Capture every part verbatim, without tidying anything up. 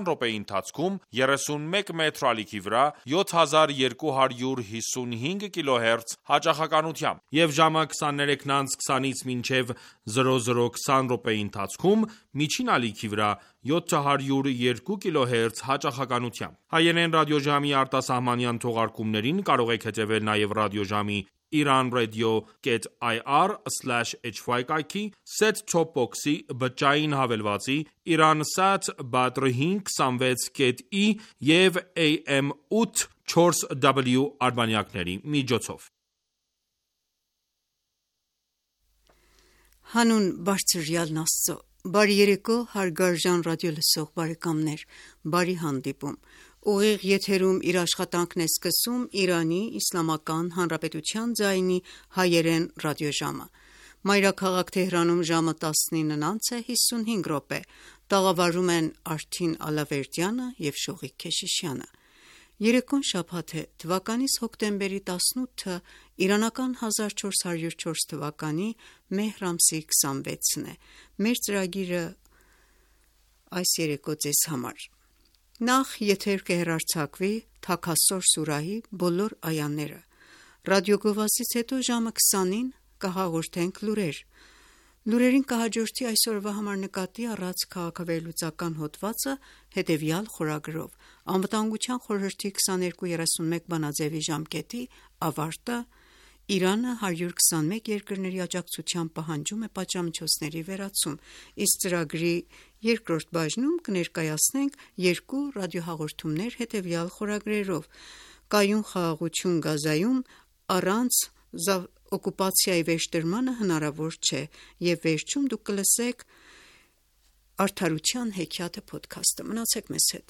րոպեի ընթացքում երեսունմեկ մետր ալիքի վրա յոթ հազար երկու հարյուր հիսունհինգ կիլոհերց հաճախականությամբ, և ժամը քսաներեքն անց քսանից մինչև զրո զրո քսան րոպեի ընթացքում միջին ալիքի վրա յոթ հարյուր երկու կիլոհերց հաճախականությամբ։ Հայերեն ռադիոժամի արտասահմանյան թողարկումներին կարող եք հետևել նաև ռադիոժամի iranradio.ir slash hy կայքի, set-top box-ի, բջջային հավելվածի, Iransat Badr հինգ քսանվեց կետ ի և A M ութ չորս W արբանյակների միջոցով։ Հանուն բարձրյալն Աստծո, բարի երեկո հարգարժան ռադիոլսող բարեկամներ, բարի հանդիպում։ Ուղիղ եթերում իր աշխատանքն է սկսում Իրանի Իսլամական Հանրապետության ձայնի հայերեն ռադիոժամը։ Մայրաքաղաք Թեհրանում ժամը տասնինն անց է հիսունհինգ րոպե, տաղավարում են Արթին Ալավերդյանը և Շողիկ Քեշիշյանը։ Երեկոն շաբաթ է, թվականիս հոկտեմբերի տասնութը, իրանական հազար չորս հարյուր չորս թվականի մեհր ամսի քսանվեցն է։ Մեր ծրագիրը այս երեկո ձեզ համար: Նախ եթեր կհեռարձակվի Թաքասոր սուրահի բոլոր այաները, ռադիոգովազդից հետո ժամը քսանին կհաղորդենք լուրեր, լուրերին կհաջորդի այսօրվա համար նկատի առած քաղաքավերլուծական հոդվածը հետևյալ խորագրով՝ Անվտանգության խորհրդի քսաներկու երեսունմեկ բանաձևի ժամկետի ավարտը, Իրանը հարյուր քսանմեկ երկրների աջակցությամբ պահանջում է պատժամիջոցների վերացում, իսկ ծրագրի երկրորդ բաժնում կներկայացնենք երկու ռադիոհաղորդումներ հետևյալ խորագրերով՝ Կայուն խաղաղություն Գազայում առանց օկուպացիայի վերջտրմանը հնարավոր չէ, և վերջում դուք կլսեք Արդարության հեքիաթը փոդքասթը։ Մնացեք մեզ հետ։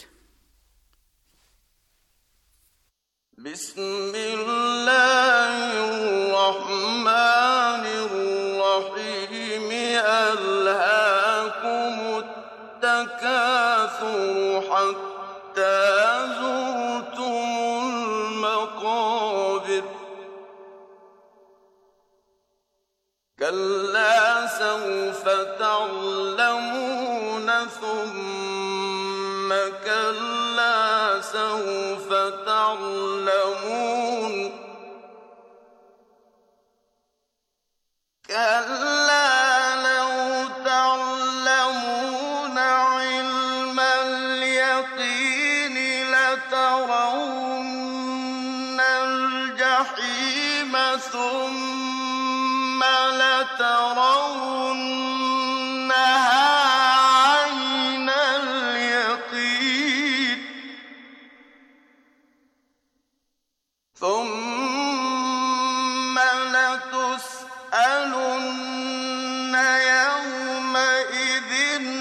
كلا سوف تعلمون ثم كلا سوف تعلمون كلا لو تعلمون علم اليقين لترون الجحيم ثم لترونها عين اليقين ثم لتسألن يومئذ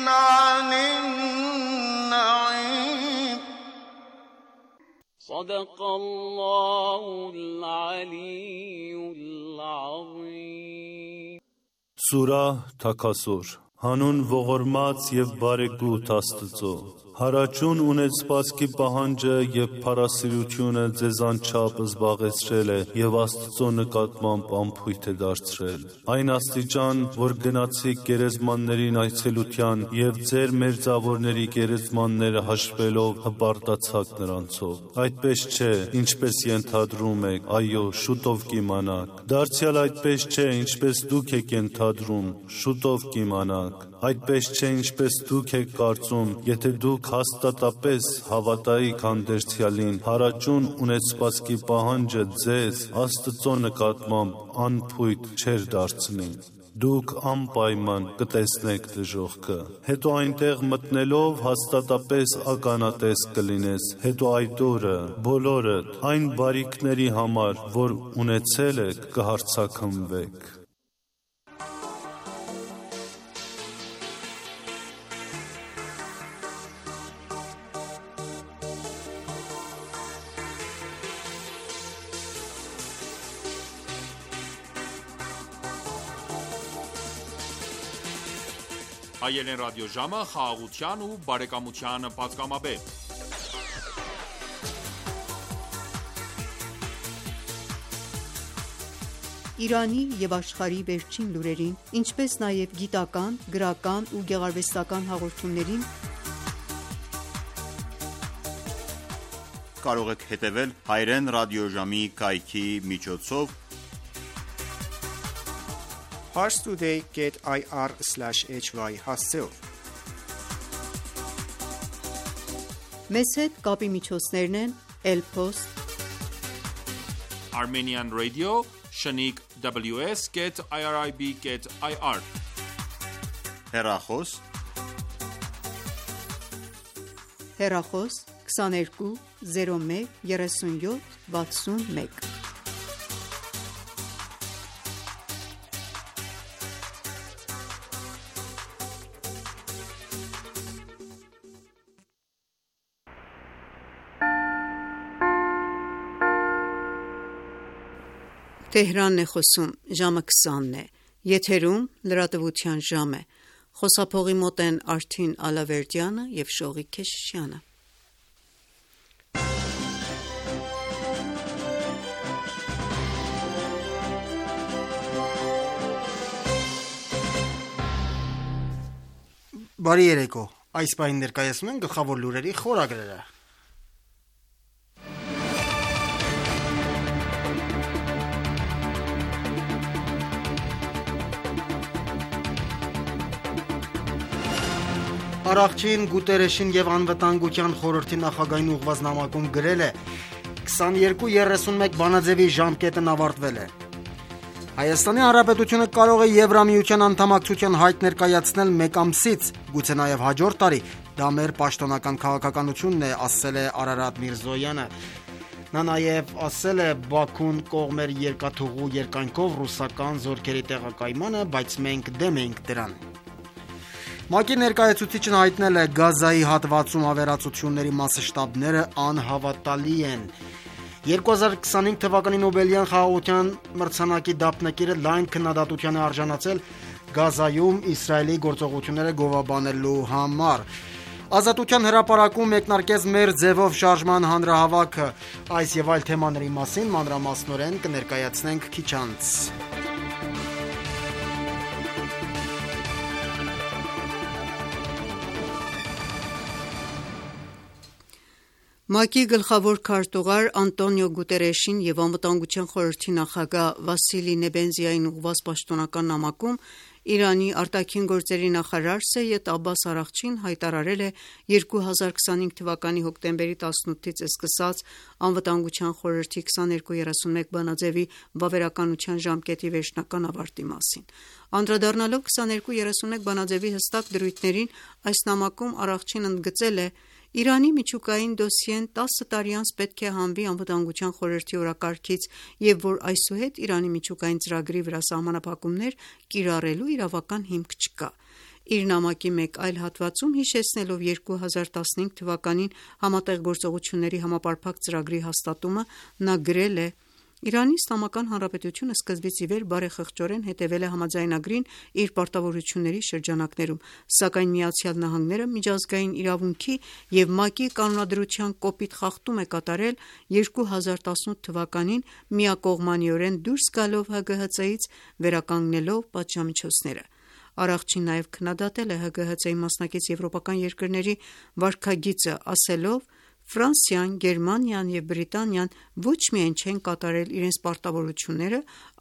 عن النعيم صدق الله العلي العظيم Սուրահ Թաքասոր Հանուն ողորմած և բարեգութ Աստծո, հարաճուն ունեցվածքի պահանջը և փառասիրությունը ձեզ անչափ զբաղեցրել է և Աստծո նկատմամբ անփույթ է դարձրել։ Այն աստիճան, որ գնացիք գերեզմաններին այցելության և ձեր մերձավորների գերեզմանները հաշվելով հպարտացաք նրանցով։ Այդպես չէ, ինչպես ենթադրում եք, այո, շուտով կիմանաք։ Դարձյալ այդպես չէ, ինչպես դուք եք ենթադրում, շուտով կիմանաք։ Այդպես չէ, ինչպես դուք եք կարծում, եթե դուք հաստատապես հավատայիք հանդերձյալին, հարաճուն ունեցվածքի պահանջը ձեզ Աստծո նկատմամբ անփույթ չէր դարձնի։ Դուք անպայման կտեսնեք դժոխքը, հետո այնտեղ մտնելով հաստատապես ականատես կլինես, հետո այդ օրը բոլորդ այն բարիքների համար, որ ունեցել եք, կհարձակվեք։ Հայերեն ռադիոժամը խաղաղության ու բարեկամության պատգամաբեր։ Իրանի և աշխարհի վերջին լուրերին, ինչպես նաև գիտական, գրական ու գեղարվեստական հաղորդումներին կարող եք հետևել Հայրեն ռադիոժամի կայքի միջոցով parstoday dot i r slash h y հասցեով։ Մեզ հետ կապի միջոցներն են Elpost, Armenian Radio, Shaniq w s dot irib dot i r հեռախոս, հեռախոս քսաներկու զիրո մեկ երեսունյոթ վաթսունմեկ։ Թեհրանն է խոսում, ժամը քսանն է, եթերում լրատվության ժամ է, խոսափողի մոտ են Արթին Ալավերդյանը և Շողիկ Քեշիշյանը։ Բարի երեկո, այս պահին ներկայացնում են գլխավոր լուրերի խորագրերը։ Առաքչին Գուտերեշին և անվտանգության խորհրդի նախագահին ուղղված նամակում գրել է. քսաներկու երեսունմեկ բանաձևի ժամկետն ավարտվել է։ Հայաստանի Հանրապետությունը կարող է Եվրամիության անդամակցության հայտ ներկայացնել մեկ ամսից, գուցե նաև հաջորդ տարի, դա մեր պաշտոնական քաղաքականությունն է, ասել է Արարատ Միրզոյանը։ Նա նաև ասել է Բաքուն կողմեր երկաթուղու երկայնքով ռուսական զորքերի տեղակայմանը, բայց մենք դեմ ենք դրան։ ՄԱԿ-ի ներկայացուցիչն հայտնել է Գազայի հատվածում ավերածությունների մասշտաբները անհավատալի են։ երկու հազար քսանհինգ թվականի Նոբելյան խաղաղության մրցանակի դափնեկիրը լայն քննադատության է արժանացել Գազայում Իսրայելի գործողությունները գովաբանելու համար։ Ազատության հրապարակում մեկնարկեց մեր ձևով շարժման հանրահավաքը, այս եւ այլ թեմաների մասին մանրամասնորեն կներկայացնենք քիչ անց։ ՄԱԿ-ի գլխավոր քարտուղար Անտոնիո Գուտերեշին և Անվտանգության խորհրդի նախագահ Վասիլի Նեբենզիային ուղղված պաշտոնական նամակում Իրանի արտաքին գործերի նախարար Սեյեդ Աբբաս Արաղչին հայտարարել է երկու հազար քսանհինգ թվականի հոկտեմբերի տասնութից սկսած Անվտանգության խորհրդի քսաներկու երեսունմեկ բանաձևի վավերականության ժամկետի վերջնական ավարտի մասին։ Անդրադառնալով քսաներկու երեսունմեկ բանաձևի հստակ դրույթներին, այս նամակում Արաղչին ընդգծել է. Իրանի միջուկային դոսիեն տասը տարի անց պետք է հանվի Անվտանգության խորհրդի օրակարգից և որ այսուհետ Իրանի միջուկային ծրագրի վրա սահմանափակումներ կիրառելու իրավական հիմք չկա։ Իր նամակի մեկ այլ հատվածում հիշեցնելով երկու հազար տասնհինգ թվականին Համատեղ գործողությունների համապարփակ ծրագրի հաստատումը, նա գրել է. Իրանի Իսլամական Հանրապետությունը սկզբից ի վեր բարեխղճորեն հետևել է համաձայնագրին իր պարտավորությունների շրջանակներում, սակայն Միացյալ Նահանգները միջազգային իրավունքի և ՄԱԿ-ի կանոնադրության կոպիտ խախտում է կատարել երկու հազար տասնութ թվականին միակողմանիորեն դուրս գալով Հ Գ Հ Ց-ից վերականգնելով պատժամիջոցները։ Արաղչին նաև քննադատել է Հ Գ Հ Ց-ի մասնակից եվրոպական երկրների վարքագիծը, ասելով. Ֆրանսիան, Գերմանիան և Բրիտանիան ոչ միայն չեն կատարել իրենց պարտավորությունները,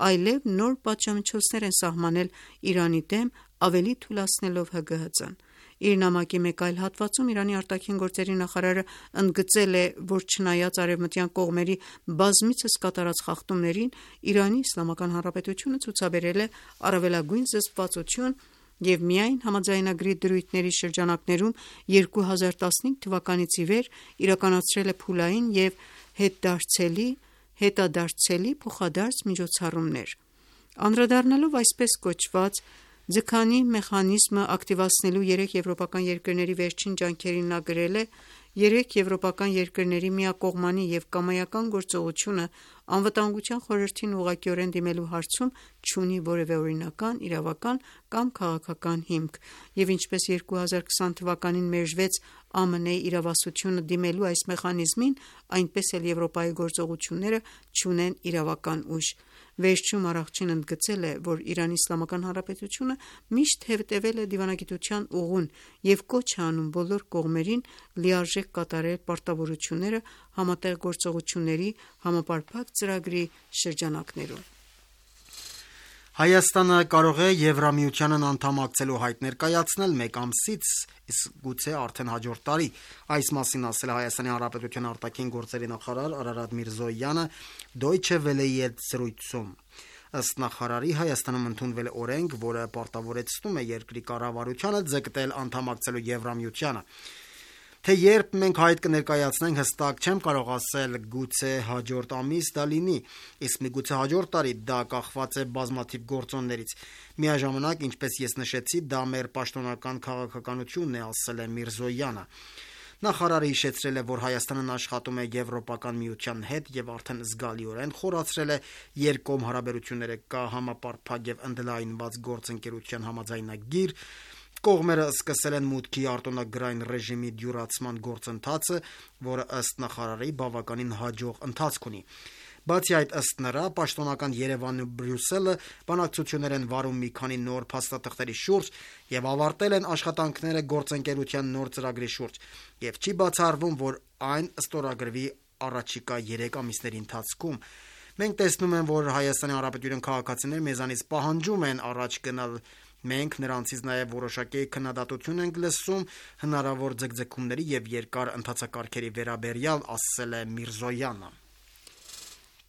այլև նոր պատժամիջոցներ են սահմանել Իրանի դեմ, ավելի թուլացնելով Հ Գ Հ Ց-ն։ Իր նամակի մեկ այլ հատվածում Իրանի արտաքին գործերի նախարարը ընդգծել է, որ չնայած արևմտյան կողմերի բազմիցս կատարած խախտումներին, Իրանի Իսլամական Հանրապետությունը ցուցաբերել է առավելագույն զսպվածություն և միայն համաձայնագրի դրույթների շրջանակներում երկու հազար տասնհինգ թվականից ի վեր իրականացրել է փուլային և հետդարձելի, հետադարձելի փոխադարձ միջոցառումներ։ Անդրադառնալով այսպես կոչված ձգանի մեխանիզմը ակտիվացնելու երեք եվրոպական երկրների վերջին ջանքերին նա գրել է. Երեք եվրոպական երկրների միակողմանի և կամայական գործողությունը Անվտանգության խորհրդին ուղղակիորեն դիմելու հարցում չունի որևէ օրինական, իրավական կամ քաղաքական հիմք, և ինչպես երկու հազար քսան թվականին մերժվեց Ամն Ի իրավասությունը դիմելու այս մեխանիզմին, այնպես էլ Եվրոպայի գործողությունները չունեն իրավական ուժ։ Վերջում Արաղչին ընդգծել է, որ Իրանի Իսլամական Հանրապետությունը միշտ հետևել է դիվանագիտության ուղուն և կոչ է անում բոլոր կողմերին լիարժեք ձեռք կատարել պարտավորությունները համատեղ գործողությունների համապարփակ ծրագրի շրջանակներում։ Հայաստանը կարող է Եվրամիությանն անդամակցելու հայտ ներկայացնել մեկ ամսից, իսկ գուցե արդեն հաջորդ տարի։ Այս մասին ասել է Հայաստանի Հանրապետության արտաքին գործերի նախարար Արարատ Միրզոյանը Deutsche Welle-ի հետ զրույցում։ Ըստ նախարարի, Հայաստանում ընդունվել է օրենք, որը պարտավորեցնում է երկրի կառավարությանը ձգտել անդամակցելու Եվրամիությանը։ Թե երբ մենք հայտ կներկայացնենք, հստակ չեմ կարող ասել, գուցե հաջորդ ամիս դա լինի, իսկ միգուցե հաջորդ տարի, դա կախված է բազմաթիվ գործոններից։ Միաժամանակ, ինչպես ես նշեցի, դա մեր պաշտոնական քաղաքականությունն է, ասել է Միրզոյանը։ Նախարարը հիշեցրել է, որ Հայաստանն աշխատում է Եվրոպական միության հետ եւ արդեն զգալիորեն խորացրել է երկկողմ հարաբերությունները, կա համապարփակ եւ ընդլայնված գործընկերության համաձայնագիր։ Կողմերը սկսել են մուտքի արտոնագրային ռեժիմի դյուրացման գործընթացը, որը ըստ նախարարի բավականին հաջող ընթացք ունի։ Բացի այդ, ըստ նրա, պաշտոնական Երևանն ու Բրյուսելը բանակցություններ են վարում մի քանի նոր փաստաթղթերի շուրջ եւ ավարտել են աշխատանքները գործընկերության նոր ծրագրի շուրջ, եւ չի բացառվում, որ այն ստորագրվի առաջիկա երեք ամիսների ընթացքում։ Մենք տեսնում ենք, որ Հայաստանի Հանրապետության քաղաքացիները մեզանից պահանջում են առաջ գնալ։ Մենք նրանցից նաև որոշակի քննադատություն ենք լսում հնարավոր ձգձգումների եւ երկար ընթացակարգերի վերաբերյալ, ասել է Միրզոյանը։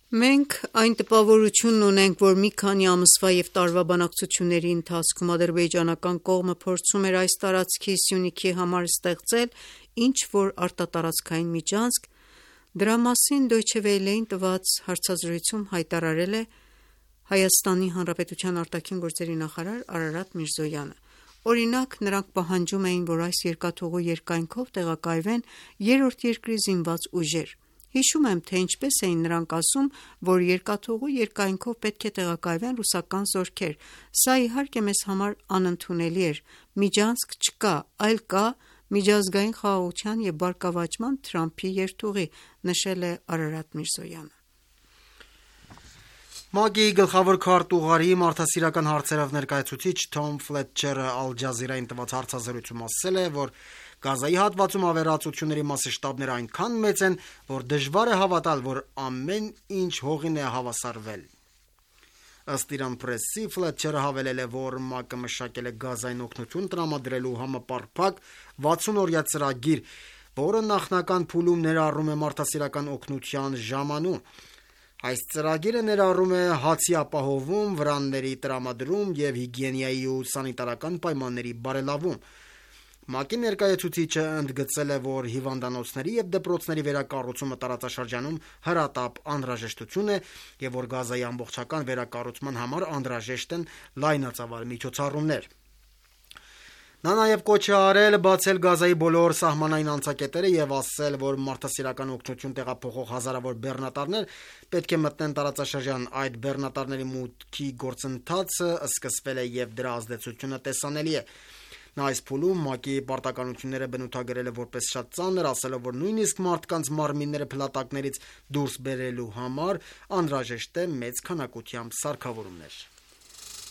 Մենք այն տպավորությունն ունենք, որ մի քանի ամսվա եւ տարվա բանակցությունների ընթացքում ադրբեջանական կողմը փորձում էր այս տարածքի Սյունիքի համար ստեղծել ինչ-որ արտատարածքային միջանցք։ Դրա մասին Deutsche Welle-ին տված հարցազրույցում հայտարարել է Հայաստանի Հանրապետության արտաքին գործերի նախարար Արարատ Միրզոյանը։ Օրինակ, նրանք պահանջում էին, որ այս երկաթուղու երկայնքով տեղակայվեն երրորդ երկրի զինված ուժեր։ Հիշում եմ, թե ինչպես էին նրանք ասում, որ երկաթուղու երկայնքով պետք է տեղակայվեն ռուսական զորքեր։ Սա իհարկե մեզ համար անընդունելի էր։ Միջանցք չկա, այլ կա միջազգային խաղաղության եւ բարգավաճման Թրամփի երթուղի, նշել է Արարատ Միրզոյանը։ ՄԱԿ-ի գլխավոր քարտուղարի մարդասիրական հարցերով ներկայացուցիչ Թոմ Ֆլետչերը Ալ Ջազիրային տված հարցազրույցում ասել է, որ Գազայի հատվածում ավերածությունների մասշտաբները այնքան մեծ են, որ դժվար է հավատալ, որ ամեն ինչ հողին է հավասարվել։ Ըստ Իրան Պրեսի, Ֆլետչերը հավելել է, որ ՄԱԿ-ը մշակել է Գազային օգնություն տրամադրելու համապարփակ վաթսուն-օրյա ծրագիր, որը նախնական փուլում ներառում է մարդասիրական օգնության ժամանում։ Այս ծրագիրը ներառում է հացի ապահովում, վրանների տրամադրում եւ հիգիենայի ու սանիտարական պայմանների բարելավում։ ՄԱԿ-ի ներկայացուցիչը ընդգծել է, որ հիվանդանոցների եւ դպրոցների վերակառուցումը տարածաշրջանում հրատապ անհրաժեշտություն է եւ որ Գազայի ամբողջական վերակառուցման համար անհրաժեշտ են լայնածավալ միջոցառումներ։ Նա նաև կոչ է արել բացել Գազայի բոլոր սահմանային անցակետերը եւ ասել, որ մարդասիրական օգնություն տեղափոխող հազարավոր բեռնատարներ պետք է մտնեն տարածաշրջան։ Այդ բեռնատարների մուտքի գործընթացը սկսվել է եւ դրա ազդեցությունը տեսանելի է։ Նա այս փուլում ՄԱԿ-ի պարտականությունները բնութագրել է որպես շատ ծանր, ասելով, որ նույնիսկ մարդկանց մարմինները փլատակներից դուրս բերելու համար անհրաժեշտ է մեծ քանակությամբ սարքավորումներ։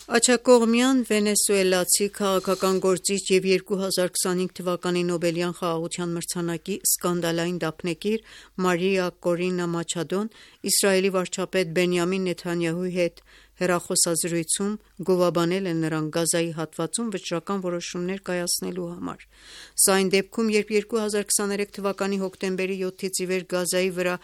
Աջակողմյան վենեսուելացի քաղաքական գործիչ եւ երկու հազար քսանհինգ թվականի Նոբելյան խաղաղության մրցանակի սկանդալային դափնեկիր Մարիա Կորինա Մաչադոն Իսրայելի վարչապետ Բենյամին Նեթանյահուի հետ հեռախոսազրույցում գովաբանել է նրան Գազայի հատվածում վճռական որոշումներ կայացնելու համար։ Սա այն դեպքում, երբ երկու հազար քսաներեք թվականի հոկտեմբերի յոթից ի վեր Գազայի վրա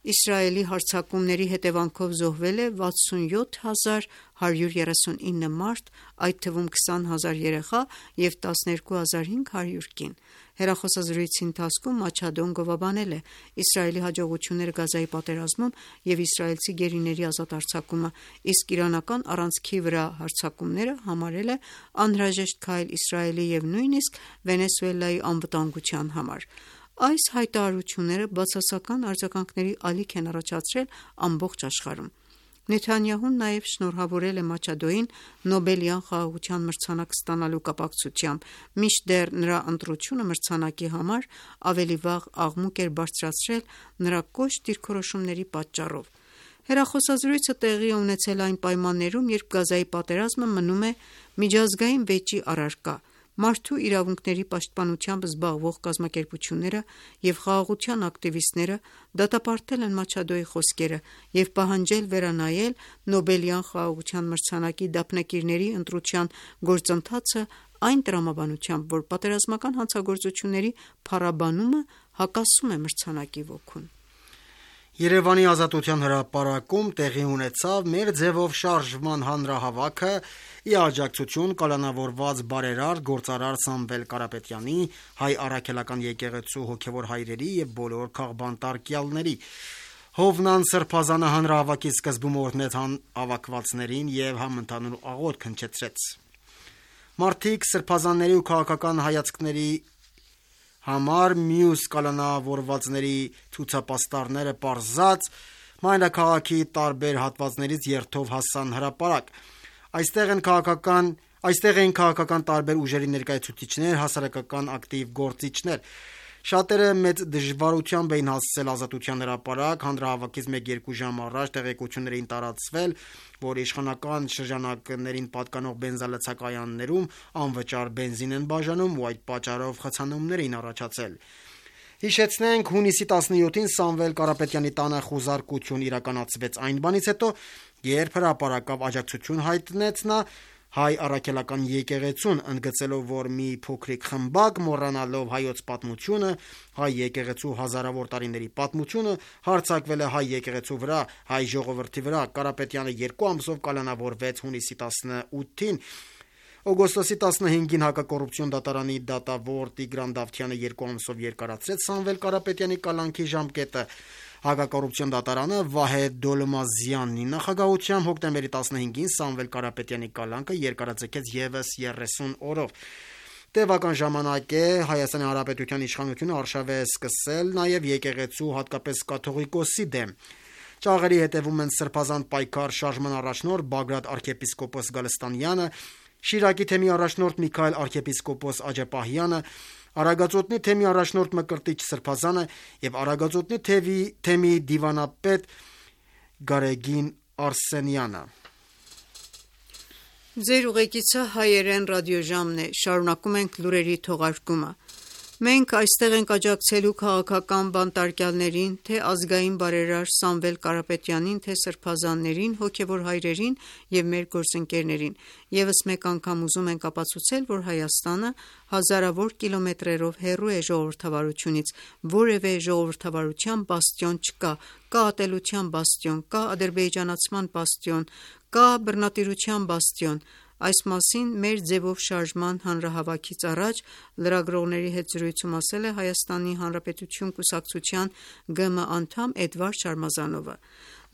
Իսրայելի հարձակումների հետևանքով զոհվել է վաթսունյոթ հազար հարյուր երեսունինը մարդ, այդ թվում քսան հազար երեխա եւ տասներկու հազար հինգ հարյուր կին։ Հեռախոսազրույցի ընթացքում Մաչադոն գովաբանել է Իսրայելի հաջողությունները Գազայի պատերազմում եւ իսրայելցի գերիների ազատ արձակումը, իսկ իրանական առանցքի վրա հարձակումները համարել է անհրաժեշտ քայլ Իսրայելի եւ նույնիսկ Վենեսուելայի անվտանգության համար։ Այս հայտարարությունները բացասական արձագանքների ալիք են առաջացրել ամբողջ աշխարհում։ Նեթանյահուն նաև շնորհավորել է Մաչադոին Նոբելյան խաղաղության մրցանակ ստանալու կապակցությամբ, մինչդեռ նրա ընտրությունը մրցանակի համար ավելի վաղ աղմուկ էր բարձրացրել նրա կոշտ դիրքորոշումների պատճառով։ Հեռախոսազրույցը տեղի է ունեցել այն պայմաններում, երբ Գազայի պատերազմը մնում է միջազգային վեճի առարկա։ Մարդու իրավունքների պաշտպանությամբ զբաղվող կազմակերպությունները և խաղաղության ակտիվիստները դատապարտել են Մաչադոյի խոսքերը և պահանջել վերանայել Նոբելյան խաղաղության մրցանակի դափնեկիրների ընտրության գործընթացը այն տրամաբանությամբ, որ պատերազմական հանցագործությունների փառաբանումը հակասում է մրցանակի ոգուն։ Երևանի Ազատության հրապարակում տեղի ունեցավ «Մեր ձևով շարժման» հանրահավաքը՝ ի աջակցություն կալանավորված բարերարդ գործարար Սամվել Կարապետյանի, Հայ Առաքելական եկեղեցու հոգևոր հայրերի և բոլոր քաղբանտարկյալների։ Հովնան Սրբազանը հանրահավաքի սկզբում օրհնեց հավաքվածներին և համընդհանուր աղոթք հնչեցրեց։ Մարդիկ սրբազանների ու քաղաքական հայացքների համար մյուս կալանավորվածների ցուցապաստառները պարզած մայրաքաղաքի տարբեր հատվածներից երթով հասան հրապարակ։ Այստեղ են քաղաքական Այստեղ էին քաղաքական տարբեր ուժերի ներկայացուցիչներ, հասարակական ակտիվ գործիչներ։ Շատերը մեծ դժվարությամբ էին հասցել Ազատության հրապարակ։ Հանրահավաքից մեկ-երկու ժամ առաջ տեղեկություններ էին տարածվել, որ իշխանական շրջանակներին պատկանող բենզալցակայաններում անվճար բենզին են բաժանում ու այդ պատճառով խցանումներ էին առաջացել։ Հիշեցնենք, հունիսի տասնյոթին Սամվել Կարապետյանի տանը խուզարկություն իրականացվեց այն բանից հետո, երբ հրապարակավ աջակցություն հայտնեց նա Հայ Առաքելական եկեղեցուն, ընդգծելով, որ մի փոքրիկ խմբակ, մոռանալով հայոց պատմությունը, հայ եկեղեցու հազարավոր տարիների պատմությունը, հարձակվել է հայ եկեղեցու վրա, հայ ժողովրդի վրա։ Կարապետյանը երկու ամսով կալանավորվեց հունիսի տասնութին։ Օգոստոսի տասնհինգին հակակոռուպցիոն դատարանի դատավոր Տիգրան Դավթյանը երկու ամսով երկարացրեց Սամվել Կարապետյանի կալանքի ժամկետը։ Հակակոռուպցիոն դատարանը Վահե Դոլմազյանի նախագահությամբ հոկտեմբերի տասնհինգին Սամվել Կարապետյանի կալանքը երկարաձգեց ևս երեսուն օրով։ Տևական ժամանակ է Հայաստանի Հանրապետության իշխանությունը արշավ է սկսել նաև եկեղեցու, հատկապես կաթողիկոսի դեմ։ Ճաղերի հետևում են Սրբազան պայքար շարժման առաջնորդ Բագրատ arczepiskopos Գալստանյանը, Շիրակի թեմի առաջնորդ Միքայել arczepiskopos Աջապահյանը, Արագածոտնի թեմի առաջնորդ Մկրտիչ Սրբազանը եւ Արագածոտնի թեմի, թեմի դիվանապետ Գարեգին Արսենյանը։ Ձեր ուղեկիցը հայերեն ռադիոժամն է, շարունակում ենք լուրերի թողարկումը։ Մենք այստեղ ենք աջակցելու քաղաքական բանտարկյալներին, թե ազգային բարերար Սամվել Կարապետյանին, թե սրբազաններին, հոգևոր հայրերին և մեր գործընկերներին։ Եվս մեկ անգամ ուզում ենք ապացուցել, որ Հայաստանը հազարավոր կիլոմետրերով հեռու է ժողովրդավարությունից, որևէ ժողովրդավարության բաստիոն չկա, կա ատելության բաստիոն, կա ադրբեջանացման բաստիոն, կա բռնատիրության բաստիոն։ Այս մասին «Մեր ձևով շարժման» հանրահավաքից առաջ լրագրողների հետ զրույցում ասել է Հայաստանի Հանրապետություն կուսակցության Գ Մ անդամ Էդվարդ Շարմազանովը։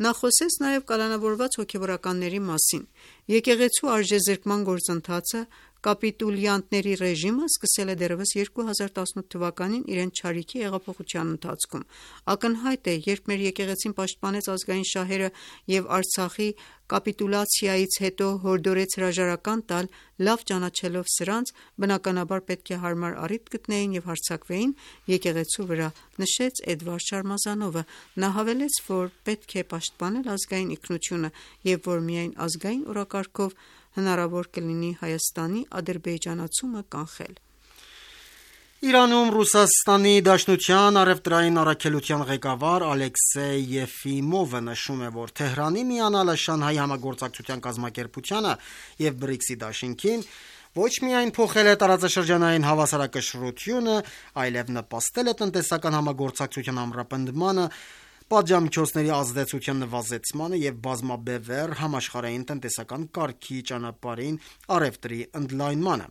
Նա խոսեց նաև կալանավորված հոգևորականների մասին։ Եկեղեցու արժեզրկման գործընթացը կապիտուլյանտների ռեժիմը սկսել է դեռևս երկու հազար տասնութ թվականին իրենց չարիքի հեղափոխության ընթացքում։ Ակնհայտ է, երբ մեր եկեղեցին պաշտպանեց ազգային շահերը և Արցախի կապիտուլյացիայից հետո հորդորեց հրաժարական տալ, լավ ճանաչելով սրանց, բնականաբար պետք է հարմար առիթ գտնեին և հարձակվեին եկեղեցու վրա, նշեց Էդվարդ Շարմազանովը։ Նա հավելեց, որ պետք է պաշտպանել ազգային ինքնությունը և որ միայն ազգային օրակարգով հնարավոր կլինի Հայաստանի ադրբեջանացումը կանխել։ Իրանում Ռուսաստանի Դաշնության առևտրային առաքելության ղեկավար Ալեքսեյ Եֆիմովը նշում է, որ Թեհրանի միանալը Շանհայի համագործակցության կազմակերպությանը և բրիքսի դաշինքին ոչ միայն փոխել է տարածաշրջանային հավասարակշռությունը, այլև նպաստել է տնտեսական համագործակցության ամրապնդմանը, պատժամիջոցների ազդեցության նվազեցմանը և բազմաբևեռ համաշխարհային տնտեսական կարգի ճանապարհին առևտրի ընդլայնմանը։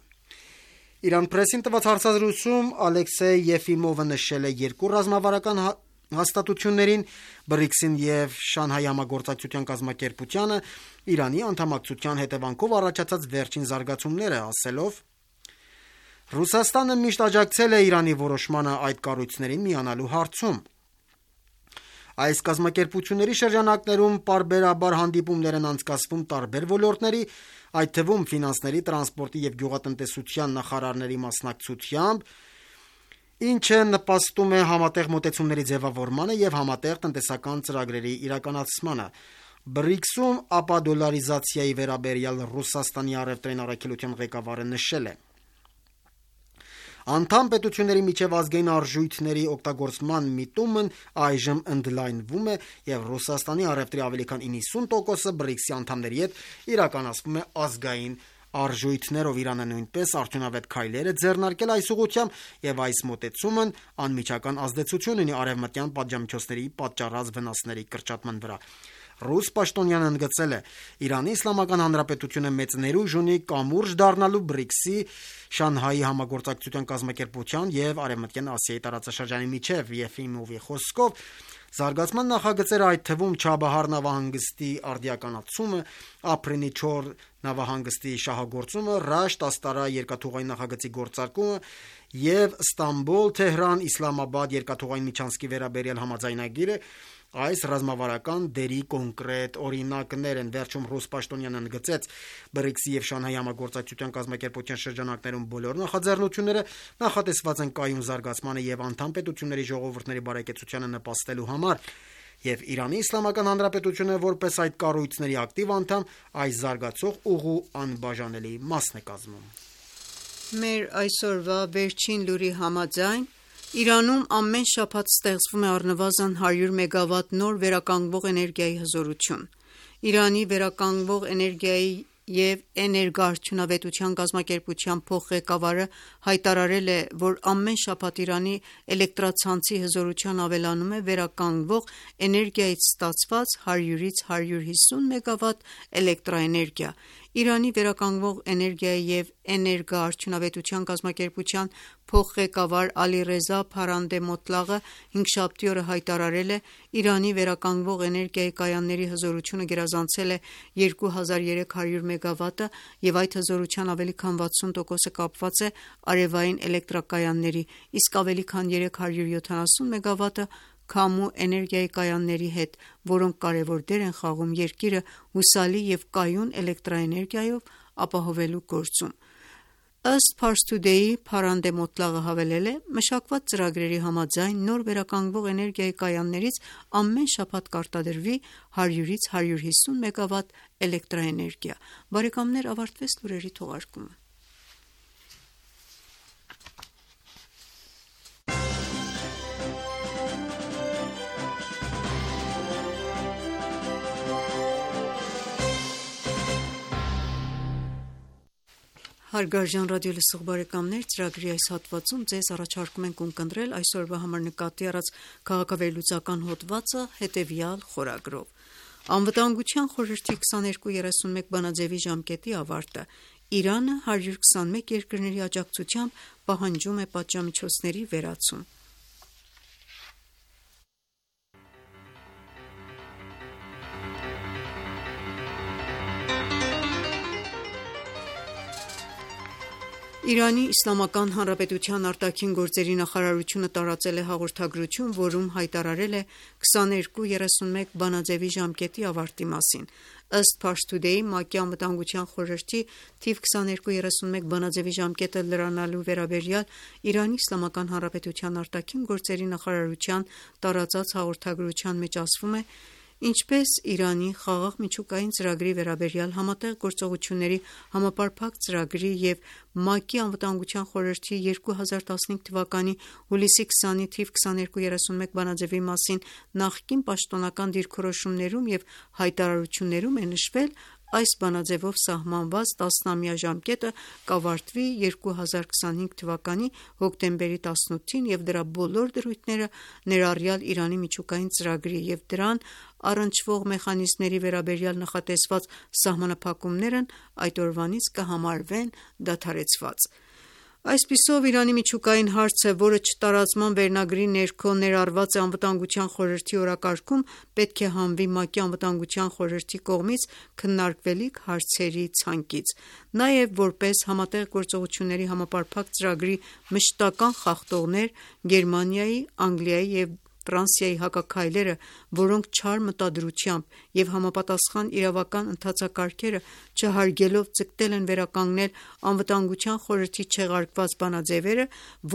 Իրան Պրեսին տված հարցազրույցում Ալեքսեյ Եֆիմովը նշել է երկու ռազմավարական հաստատություններին՝ բրիքսին և Շանհայի համագործակցության կազմակերպությանը Իրանի անդամակցության հետևանքով առաջացած վերջին զարգացումները, ասելով. «Ռուսաստանը միշտ աջակցել է Իրանի որոշմանը այդ կառույցներին միանալու հարցում։ Այս կազմակերպությունների շրջանակներում պարբերաբար հանդիպումներ են անցկացվում տարբեր ոլորտների, այդ թվում ֆինանսների, տրանսպորտի և գյուղատնտեսության նախարարների մասնակցությամբ, ինչը նպաստում է համատեղ մոտեցումների ձևավորմանը և համատեղ տնտեսական ծրագրերի իրականացմանը։ Բրիքսում ապադոլարիզացիայի վերաբերյալ Ռուսաստանի առևտրային առաքելության ղեկավարը նշել է. Անդամ պետությունների միջև ազգային արժույթների օգտագործման միտումն այժմ ընդլայնվում է և Ռուսաստանի առևտրի ավելի քան իննսուն տոկոսը բրիքսի անդամների հետ իրականացվում է ազգային արժույթներով։ Իրանը նույնպես արդյունավետ քայլեր է ձեռնարկել այս ուղղությամբ և այս մոտեցումն անմիջական ազդեցություն ունի արևմտյան պատժամիջոցների պատճառած վնասների կրճատման վրա։ Ռուս պաշտոնյան ընդգծել է. «Իրանի Իսլամական Հանրապետությունը մեծ ներուժ ունի կամուրջ դառնալու բրիքսի, Շանհայի համագործակցության կազմակերպության և Արևմտյան Ասիայի տարածաշրջանի միջև»։ Եֆիմովի խոսքով, զարգացման նախագծերը, այդ թվում Չաբահար նավահանգստի արդիականացումը, Ափրինի չոր նավահանգստի շահագործումը, Ռաշտ Աստարա երկաթուղային նախագծի գործարկումը և Ստամբուլ-Թեհրան Իսլամաբադ երկաթուղային միջանցքի վերաբերյալ համաձայնագիրը այս ռազմավարական դերի կոնկրետ օրինակներ են։ Վերջում ռուս պաշտոնյան ընդգծեց. «բրիքսի և Շանհայի համագործակցության կազմակերպության շրջանակներում բոլոր նախաձեռնությունները նախատեսված են կայուն զարգացմանը և անդամ պետությունների ժողովուրդների բարեկեցությանը նպաստելու համար, և Իրանի Իսլամական Հանրապետությունը, որպես այդ կառույցների ակտիվ անդամ, այս զարգացող ուղու անբաժանելի մասն է կազմում»։ Մեր այսօրվա վերջին լուրի համաձայն, Իրանում ամեն շաբաթ ստեղծվում է առնվազն հարյուր մեգավատ նոր վերականգնվող էներգիայի հզորություն։ Իրանի վերականգնվող էներգիայի և էներգոարդյունավետության կազմակերպության փոխղեկավարը հայտարարել է, որ ամեն շաբաթ Իրանի էլեկտրացանցի հզորության ավելանում է վերականգնվող էներգիայից ստացված հարյուրից հարյուր հիսուն մեգավատ էլեկտրաէներգիա։ Իրանի վերականգնվող էներգիայի և էներգոարդյունավետության կազմակերպության փոխղեկավար Ալիռեզա Փարանդե-Մոտլաղը հինգշաբթի օրը հայտարարել է. «Իրանի վերականգնվող էներգիայի կայանների հզորությունը գերազանցել է երկու հազար երեք հարյուր մեգավատը և այդ հզորության ավելի քան վաթսուն տոկոսը կապված է արևային էլեկտրակայանների, իսկ ավելի քան երեք հարյուր յոթանասուն մեգավատը քամու էներգիայի կայանների հետ, որոնք կարևոր դեր են խաղում երկիրը հուսալի և կայուն էլեկտրաէներգիայով ապահովելու գործում»։ Ըստ Pars Today-ի, Փարանդե-Մոտլաղը հավելել է. «Մշակված ծրագրերի համաձայն նոր վերականգնվող էներգիայի կայաններից ամեն շաբաթ կարտադրվի հարյուրից հարյուր հիսուն մեգավատ էլեկտրաէներգիա»։ Բարեկամներ, ավարտվեց լուրերի թողարկումը։ Հարգարժան ռադիոլսող բարեկամներ, ծրագրի այս հատվածում ձեզ առաջարկում ենք ունկնդրել այսօրվա համար նկատի առած քաղաքավերլուծական հոդվածը հետևյալ խորագրով. Անվտանգության խորհրդի քսաներկու երեսունմեկ բանաձևի ժամկետի ավարտը։ Իրանը հարյուր քսանմեկ երկրների աջակցությամբ պահանջում է պատժամիջոցների վերացում։ Իրանի Իսլամական Հանրապետության արտաքին գործերի նախարարությունը տարածել է հաղորդագրություն, որում հայտարարել է քսաներկու երեսունմեկ բանաձևի ժամկետի ավարտի մասին։ Ըստ Pars Today-ի, ՄԱԿ-ի Անվտանգության խորհրդի թիվ քսաներկու երեսունմեկ բանաձևի ժամկետը լրանալու վերաբերյալ Իրանի Իսլամական Հանրապետության արտաքին գործերի նախարարության տարածած հաղորդագրության մեջ ասվում է. «Ինչպես Իրանի խաղաղ միջուկային ծրագրի վերաբերյալ Համատեղ գործողությունների համապարփակ ծրագրի և ՄԱԿ-ի Անվտանգության խորհրդի երկու հազար տասնհինգ թվականի հուլիսի քսանի թիվ քսաներկու երեսունմեկ բանաձևի մասին նախկին պաշտոնական դիրքորոշումներում և հայտարարություններում է նշվել, այս բանաձևով սահմանված տասնամյա ժամկետը կավարտվի երկու հազար քսանհինգ թվականի հոկտեմբերի տասնութին և դրա բոլոր դրույթները, ներառյալ Իրանի միջուկային ծրագրի և դրան առնչվող մեխանիզմների վերաբերյալ նախատեսված սահմանափակումներն այդ օրվանից կհամարվեն դադարեցված»։ Այսպիսով, Իրանի միջուկային հարցը, որը չտարածման վերնագրի ներքո ներառված է Անվտանգության խորհրդի օրակարգում, պետք է հանվի ՄԱԿ-ի Անվտանգության խորհրդի կողմից քննարկվելիք հարցերի ցանկից։ Նաև, որպես Համատեղ գործողությունների համապարփակ ծրագրի մշտական խախտողներ, Գերմանիայի, Անգլիայի և Ֆրանսիայի հակաքայլերը, որոնք չար մտադրությամբ և համապատասխան իրավական ընթացակարգերը չհարգելով ձգտել են վերականգնել Անվտանգության խորհրդի չեղարկված բանաձևերը,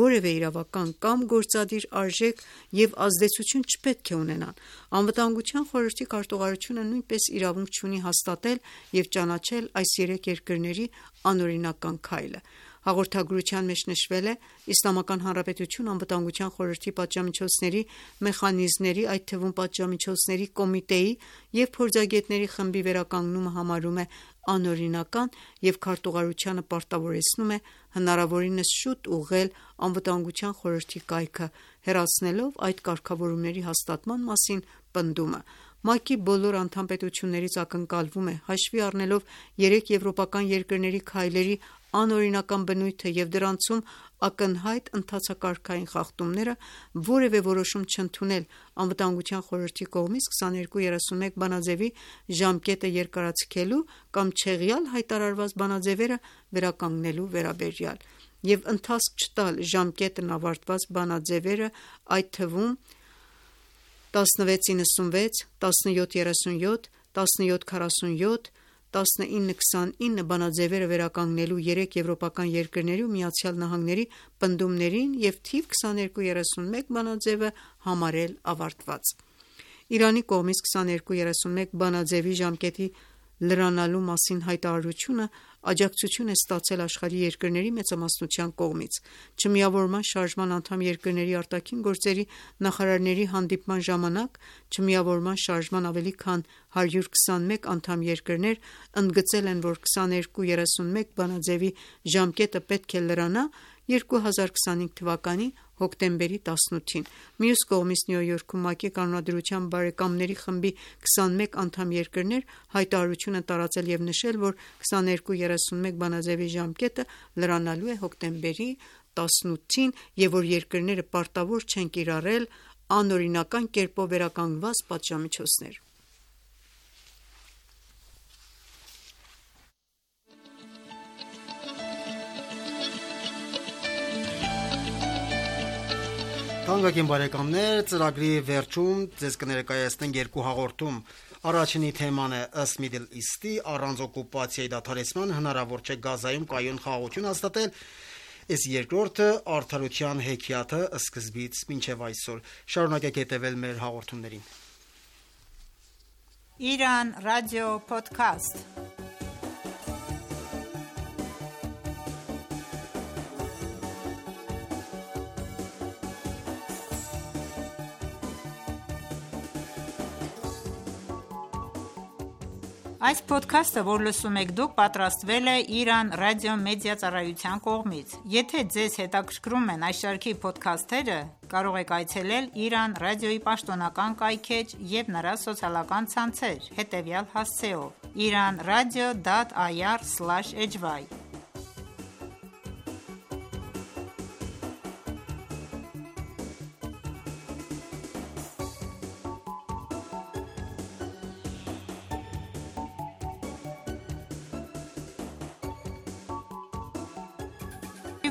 որևէ իրավական կամ գործադիր արժեք և ազդեցություն չպետք է ունենան։ Անվտանգության խորհրդի քարտուղարությունը նույնպես իրավունք չունի հաստատել և ճանաչել այս երեք երկրների անօրինական քայլը։ Հաղորդագրության մեջ նշվել է Իսլամական Հանրապետություն Անվտանգության խորհրդի պատժամիջոցների մեխանիզմների, այդ թվում պատժամիջոցների կոմիտեի և փորձագետների խմբի վերականգնումը համարում է անօրինական և քարտուղարությանը պարտավորեցնում է հնարավորինս շուտ ուղղել Անվտանգության խորհրդի կայքը, հեռացնելով այդ կարգավորումների հաստատման մասին պնդումը: ՄԱԿ-ի բոլոր անդամ պետություններից ակնկալվում է, հաշվի առնելով երեք եվրոպական երկրների քայլերի անօրինական բնույթը և դրանցում ակնհայտ ընթացակարգային խախտումները, որևէ որոշում չընդունել Անվտանգության խորհրդի կողմից քսաներկու երեսունմեկ բանաձեւի ժամկետը երկարաձգելու կամ չեղյալ հայտարարված բանաձևերը վերականգնելու վերաբերյալ և ընթացք չտալ ժամկետն ավարտված բանաձևերը, այդ թվում տասնվեց նվաթ, տասնյոթ երեսունյոթ, տասնյոթ քառասունյոթ, տասնինը քսանինը բանաձևերը վերականգնելու երեք եվրոպական երկրների ու Միացյալ Նահանգների պնդումներին և թիվ քսաներկու երեսունմեկ բանաձևը համարել ավարտված: Իրանի կողմից քսաներկու երեսունմեկ բանաձևի ժամկետի լրանալու մասին հայտարարությունը աջակցություն է ստացել աշխարհի երկրների մեծամասնության կողմից: Չմիավորման շարժման անդամ երկրների արտաքին գործերի նախարարների հանդիպման ժամանակ Չմիավորման շարժման ավելի քան հարյուր քսանմեկ անդամ երկրներ ընդգծել են, որ քսաներկու երեսունմեկ բանաձևի ժամկետը պետք է լրանա երկու հազար քսանհինգ թվականի հոկտեմբերի տասնութին: Մյուս կողմից Նյու Յորքում ՄԱԿ-ի Կանոնադրության բարեկամների խմբի քսանմեկ անդամ երկրներ հայտարարություն են տարածել և նշել, որ քսաներկու երեսունմեկ բանաձևի ժամկետը լրանալու է հոկտեմբերի տասնութին և որ երկրները պարտավոր չեն կիրառել անօրինական կերպով վերականգնված պատժամիջոցներ: Թանկագին բարեկամներ, ծրագրի վերջում ձեզ կներկայացնենք երկու հաղորդում: Առաջինի թեման է ըստ Middle East-ի առանց օկուպացիայի դադարեցման հնարավոր չէ Գազայում կայուն խաղաղություն հաստատել, իսկ երկրորդը արդարության հեքիաթը սկզբից մինչև այսօր: Շարունակեք հետևել մեր հաղորդումներին: Իրան ռադիո փոդքասթ. Այս փոդքասթը, որ լսում եք դուք, պատրաստվել է Իրան ռադիո-մեդիա ծառայության կողմից: Եթե ձեզ հետաքրքրում են այս շարքի փոդքասթերը, կարող եք այցելել Իրան ռադիոյի պաշտոնական կայքէջ և նրա սոցիալական ցանցեր հետևյալ հասցեով՝ iranradio dot ir slash hy: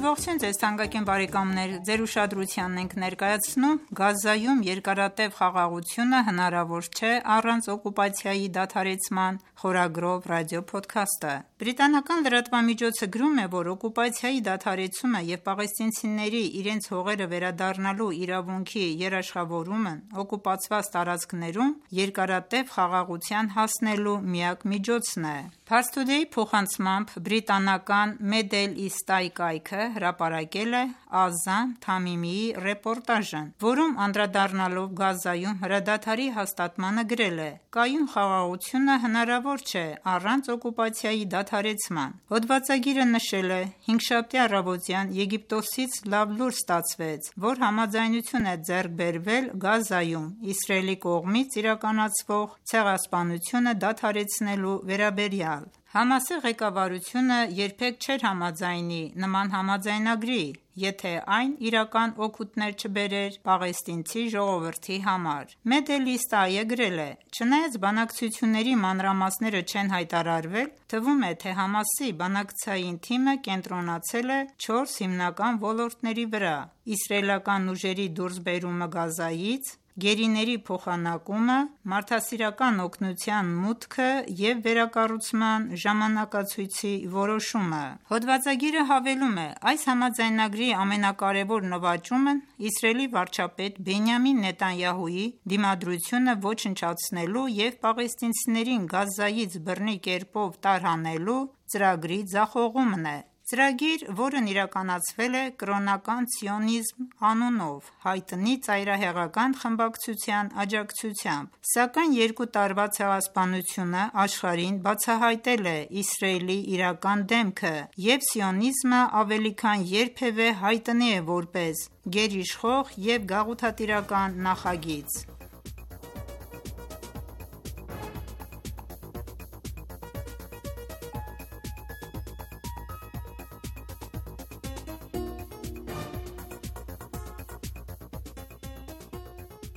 Ողջույն ձեզ թանկագին բարեկամներ: Ձեր ուշադրությանն ենք ներկայացնում Գազայում երկարատև խաղաղությունը հնարավոր չէ առանց օկուպացիայի դադարեցման խորագրով ռադիոփոդքասթը: Բրիտանական լրատվամիջոցը գրում է, որ օկուպացիայի դադարեցումը և պաղեստինցիների իրենց հողերը վերադառնալու իրավունքի երաշխավորումն օկուպացված տարածքներում երկարատև խաղաղության հասնելու միակ միջոցն է: Pars Today-ի փոխանցմամբ բրիտանական Middle East-ի կայքը հրապարակել է Ազամ Թամիմիի ռեպորտաժն, որում անդրադառնալով Գազայում հրադադարի հաստատմանը գրել է. «Կայուն խաղաղությունը հնարավոր չէ առանց օկուպացիայի դադարեցման»: Հոդվածագիրը նշել է. «Հինգշաբթի առավոտյան Եգիպտոսից լավ լուր ստացվեց, որ համաձայնություն է ձեռք բերվել Գազայում Իսրայելի կողմից իրականացվող ցեղասպանությունը դադարեցնելու վերաբերյալ: ՀԱՄԱՍ-ի ղեկավարությունը երբեք չէր համաձայնի նման համաձայնագրի, եթե այն իրական օգուտներ չբերեր պաղեստինցի ժողովրդի համար»: Middle East-ը գրել է. «Չնայած բանակցությունների մանրամասները չեն հայտարարվել, թվում է, թե ՀԱՄԱՍ-ի բանակցային թիմը կենտրոնացել է չորս հիմնական ոլորտների վրա՝ իսրայելական ուժերի դուրսբերումը Գազայից, գերիների փոխանակումը, մարդասիրական օգնության մուտքը և վերակառուցման ժամանակացույցի որոշումը»: Հոդվածագիրը հավելում է. «Այս համաձայնագրի ամենակարևոր նվաճումն Իսրայելի վարչապետ Բենյամին Նեթանյահուի դիմադրությունը ոչնչացնելու և պաղեստինցիներին Գազայից բռնի կերպով տարհանելու ծրագրի ձախողումն է»: Ծրագիր, որն իրականացվել է կրոնական սիոնիզմ անունով հայտնի ծայրահեղական խմբակցության աջակցությամբ, սակայն երկու տարվա ցեղասպանությունը աշխարհին բացահայտել է Իսրայելի իրական դեմքը, և սիոնիզմը ավելի քան երբևէ հայտնի է որպես գերիշխող և գաղութատիրական նախագիծ։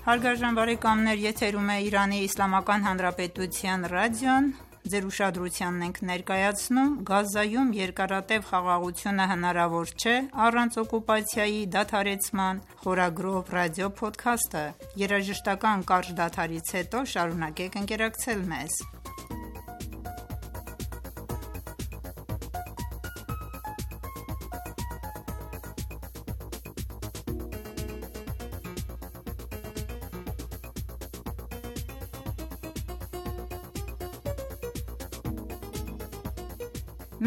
Հարգարժան բարեկամներ, եթերում է Իրանի Իսլամական Հանրապետության ռադիոն, ձեր ուշադրությանն ենք ներկայացնում Գազայում երկարատև խաղաղությունը հնարավոր չէ առանց օկուպացիայի դադարեցման խորագրով ռադիո փոդքասթը։ Երաժշտական կարճ դադարից հետո շարունակեք ընկերակցել մեզ։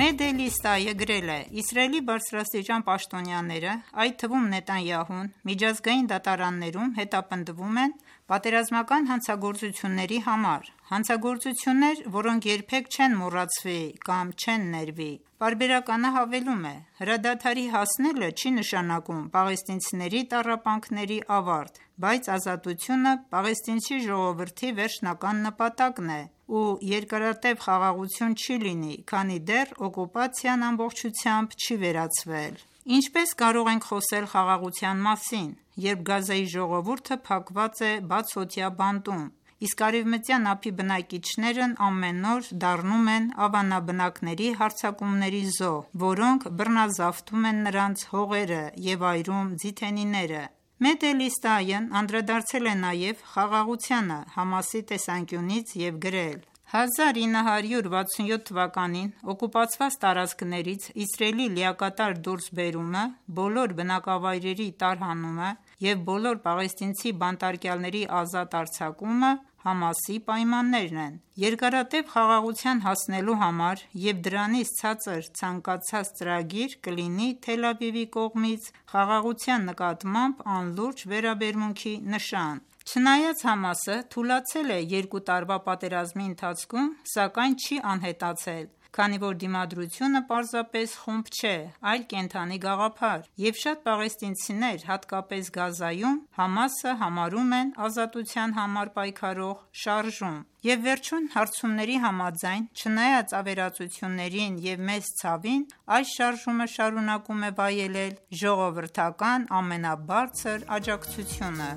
Մեդելիստայը գրել է. «Իսրայելի բարձրաստիճան պաշտոնյաները, այդ թվում Նետանյահուն, միջազգային դատարաններում հետապնդվում են պատերազմական հանցագործությունների համար, հանցագործություններ, որոնք երբեք չեն մոռացվի կամ չեն ներվի»։ Պարբերականը հավելում է. «Հրադադարի հասնելը չի նշանակում պաղեստինցիների տառապանքների ավարտ, բայց ազատությունը պաղեստինցի ժողովրդի վերջնական նպատակն է, ու երկարատև խաղաղություն չի լինի, քանի դեռ օկուպացիան ամբողջությամբ չի վերացվել»։ Ինչպես կարող ենք խոսել խաղաղության մասին, երբ Գազայի ժողովուրդը փակված է բացօթյա բանտում, իսկ Արևմտյան ափի բնակիչներն ամեն օր դառնում են ավանաբնակների հարձակումների զոհ, որոնք բռնազավթում են նրանց հողերը և այրում ձիթենիները։ Մեդելիստայն անդրադարձել է նաև խաղաղությանը Համասի տեսանկյունից և գրել. «հազար ինը հարյուր վաթսունյոթ թվականին օկուպացված տարածքներից Իսրայելի լիակատար դուրսբերումը, բոլոր բնակավայրերի տարհանումը և բոլոր պաղեստինցի բանտարկյալների ազատ արձակումը Համասի պայմաններն են։ Երկարատև խաղաղության հասնելու համար և դրանից ցածր ցանկացած ծրագիր կլինի Թել Ավիվի կողմից խաղաղության նկատմամբ անլուրջ վերաբերմունքի նշան։ Չնայած Համասը թուլացել է երկու տարվա պատերազմի ընթացքում, սակայն չի անհետացել, քանի որ դիմադրությունը պարզապես խումբ չէ, այլ կենդանի գաղափար, և շատ պաղեստինցիներ, հատկապես Գազայում, Համասը համարում են ազատության համար պայքարող շարժում։ Եվ վերջին հարցումների համաձայն, չնայած ավերածություններին և մեծ ցավին, այս շարժումը շարունակում է վայելել ժողովրդական ամենաբարձր աջակցությունը»։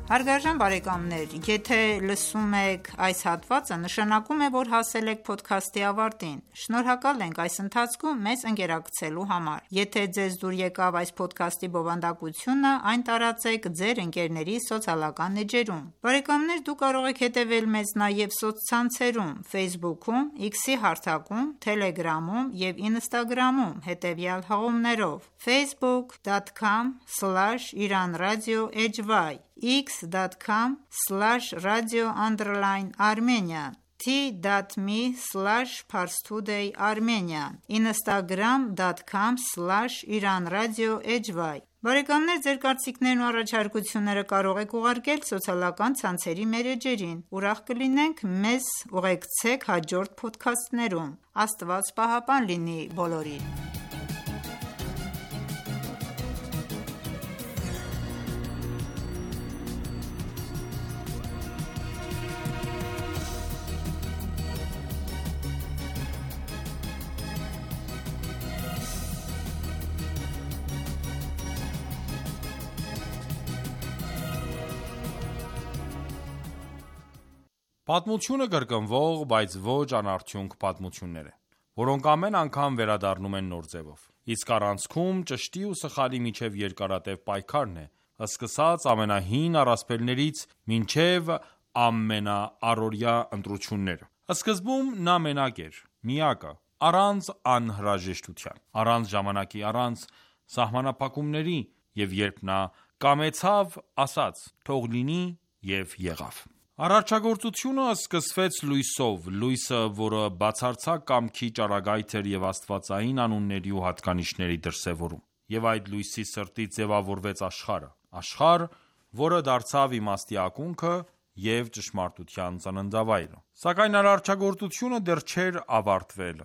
Հարգարժան բարեկամներ, եթե լսում եք այս հատվածը, նշանակում է, որ հասել եք փոդքասթի ավարտին։ Շնորհակալ ենք այս ընթացքում մեզ ընկերակցելու համար։ Եթե ձեզ դուր եկավ այս փոդքասթի բովանդակությունը, այն տարածեք ձեր ընկերների սոցիալական էջերում։ Բարեկամներ, դուք կարող եք հետևել մեզ նաև սոցցանցերում՝ Facebook-ում, X-ի հարթակում, Telegram-ում և Instagram-ում հետևյալ հղումներով՝ facebook dot com slash iran radio h y x dot com slash radio underline armenian t dot m e slash parstoday armenian instagram dot com slash iran radio h y Բարեկամներ, ձեր կարծիքներն ու առաջարկությունները կարող եք ուղարկել սոցիալական ցանցերի մեր էջերին։ Ուրախ կլինենք մեզ ուղեկցեք հաջորդ փոդքասթներում։ Աստված պահապան լինի բոլորին։ Պատմությունը կրկնվող, բայց ոչ անարդյունք պատմություններ են, որոնք ամեն անգամ վերադառնում են նոր ձևով։ Իսկ առանցքում ճշտի ու սխալի միջև երկարատև պայքարն է, սկսած ամենահին առասպելներից մինչև ամենաառօրյա ընտրությունները։ Սկզբում նա մենակ էր, միակը, առանց անհրաժեշտության, առանց ժամանակի, առանց սահմանափակումների, և երբ նա կամեցավ, ասաց. «Թող լինի» և եղավ։ Արարչագործությունը սկսվեց լույսով, լույսը, որը բացարձակ կամքի ճառագայթ էր և աստվածային անունների ու հատկանիշների դրսևորում։ Եվ այդ լույսի սրտից ձևավորվեց աշխարհը, աշխարհ, որը դարձավ իմաստի ակունքը և ճշմարտության ծննդավայրը։ Սակայն արարչագործությունը դեռ չէր ավարտվել,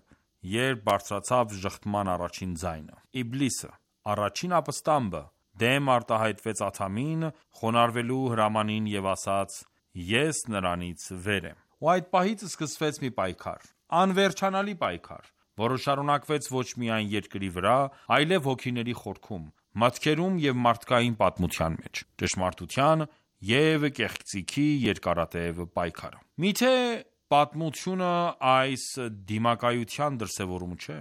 երբ բարձրացավ ժխտման առաջին ձայնը։ Իբլիսը, առաջին ապստամբը, դեմ արտահայտվեց Ադամին, խոնարհվելու հրամանին և ասաց. «Ես նրանից վեր եմ»։ Ու այդ պահից սկսվեց մի պայքար, անվերջանալի պայքար, որը շարունակվեց ոչ միայն երկրի վրա, այլև հոգիների խորքում, մտքերում և մարդկային պատմության մեջ, ճշմարտության և կեղծիքի երկարատև պայքարը։ Միթե պատմությունը այս դիմակայության դրսևորումը չէ։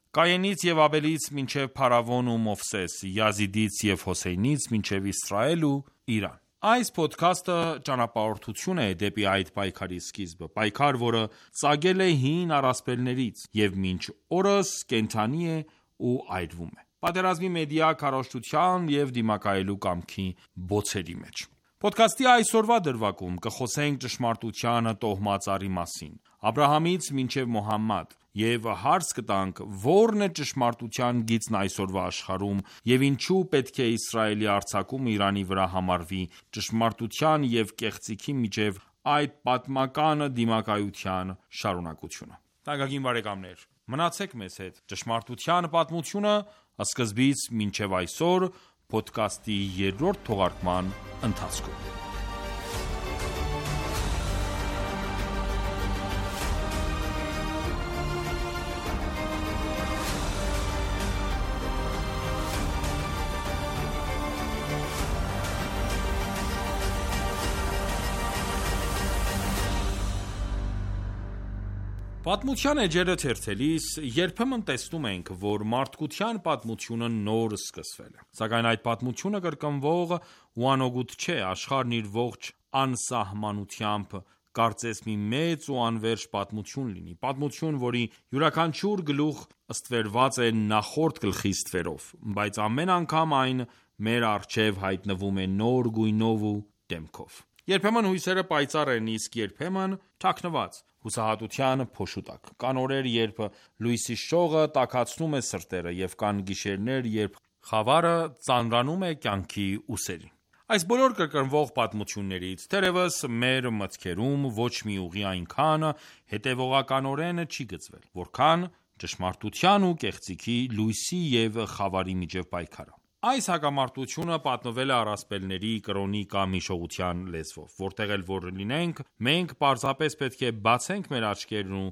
Կայենից և Աբելից մինչև Փարավոն ու Մովսես, Յազիդից և Հոսեյնից մինչև Իսրայել ու Իրան։ Այս փոդքասթը ճանապարհորդություն է դեպի այդ պայքարի սկիզբը, պայքար, որը ծագել է հին առասպելներից և մինչ օրս կենդանի է ու այրվում է, պատերազմի մեդիա քարոզչության և դիմակայելու կամքի բոցերի մեջ։ Փոդքասթի այսօրվա դրվագում կխոսենք ճշմարտության տոհմածառի մասին, Աբրահամից մինչև Մոհամմադ, և հարց կտանք, ո՞րն է ճշմարտության գիծն այսօրվա աշխարհում և ինչու պետք է Իսրայելի արձակումը Իրանի վրա համարվի ճշմարտության և կեղծիքի միջև այդ պատմական դիմակայության շարունակությունը։ Թանկագին բարեկամներ, մնացեք մեզ հետ։ Ճշմարտության պատմությունը՝ սկզբից մինչև այսօր, փոդքասթի երրորդ թողարկման ընթացքում։ Պատմության էջերը թերթելիս երբեմն տեսնում ենք, որ մարդկության պատմությունը նոր սկսվել է։ Սակայն այդ պատմությունը կրկնվող ու անօգուտ չէ, աշխարհն իր ողջ անսահմանությամբ կարծես մի մեծ ու անվերջ պատմություն լինի, պատմություն, որի յուրաքանչյուր գլուխ ստվերված է նախորդ գլխի ստվերով, բայց ամեն անգամ այն մեր առջև հայտնվում է նոր գույնով ու դեմքով։ Երբեմն հույսերը պայծառ են, իսկ երբեմն թաքնված, հուսահատության փոշու տակ։ Կան օրեր, երբ լույսի շողը տաքացնում է սրտերը, և կան գիշերներ, երբ խավարը ծանրանում է կյանքի ուսերին։ Այս բոլոր կրկնվող պատմություններից, թերևս, մեր մտքերում ոչ մի ուղի այնքան հետևողականորեն չի գծվել, որքան ճշմարտության ու կեղծիքի, լույսի և խավարի միջև պայքարը։ Այս հակամարտությունը պատմվել է առասպելների, կրոնի կամ հիշողության լեզվով։ Որտեղ էլ որ լինենք, մենք պարզապես պետք է բացենք մեր աչքերն ու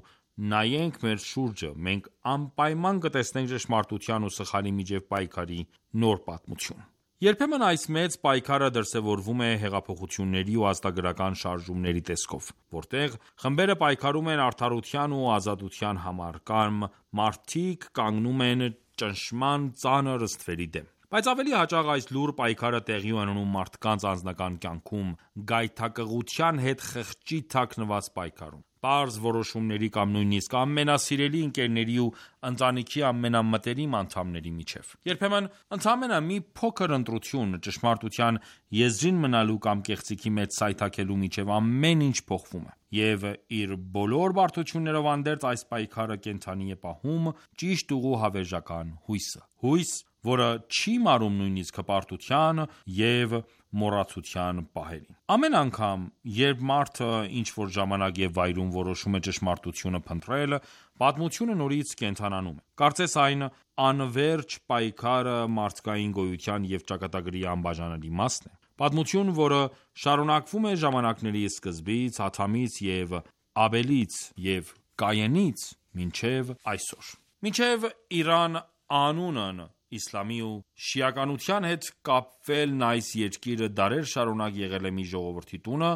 նայենք մեր շուրջը, մենք անպայման կտեսնենք ճշմարտության ու սխալի միջև պայքարի նոր պատմություն։ Երբեմն այս մեծ պայքարը դրսևորվում է հեղափոխությունների ու ազատագրական շարժումների տեսքով, որտեղ խմբերը պայքարում են արդարության ու ազատության համար, կամ մարդիկ կանգնում են ճնշման ծանր ստվերի դեմ։ Բայց ավելի հաճախ այս լուռ պայքարը տեղի է ունենում մարդկանց անձնական կյանքում, գայթակղության հետ խղճի թաքնված պայքարում, պարզ որոշումների կամ նույնիսկ ամենասիրելի ընկերների ու ընտանիքի ամենամտերիմ անդամների միջև։ Երբեմն ընդամենը մի փոքր ընտրություն, ճշմարտության եզրին մնալու կամ կեղծիքի մեջ սայթաքելու միջև ամեն ինչ փոխվում է։ Եվ իր բոլոր բարդություններով հանդերձ այս պայքարը կենդանի է պահում ճիշտ ուղու հավերժական հույսը։ Հույս, որը չի մարում նույնիսկ հպարտության և մոռացության պահերին։ Ամեն անգամ, երբ մարդը ինչ-որ ժամանակ և վայրում որոշում է ճշմարտությունը փնտրել, պատմությունը նորից կենդանանում է։ Կարծես այն անվերջ պայքարը մարդկային գոյության և ճակատագրի անբաժանելի մասն է։ Պատմություն, որը շարունակվում է ժամանակների սկզբից, Ադամից և Աբելից և Կայենից մինչև այսօր։ Մինչև Իրան անունն իսլամի ու շիականության հետ կապվելն այս երկիրը դարեր շարունակ եղել է մի ժողովրդի տունը,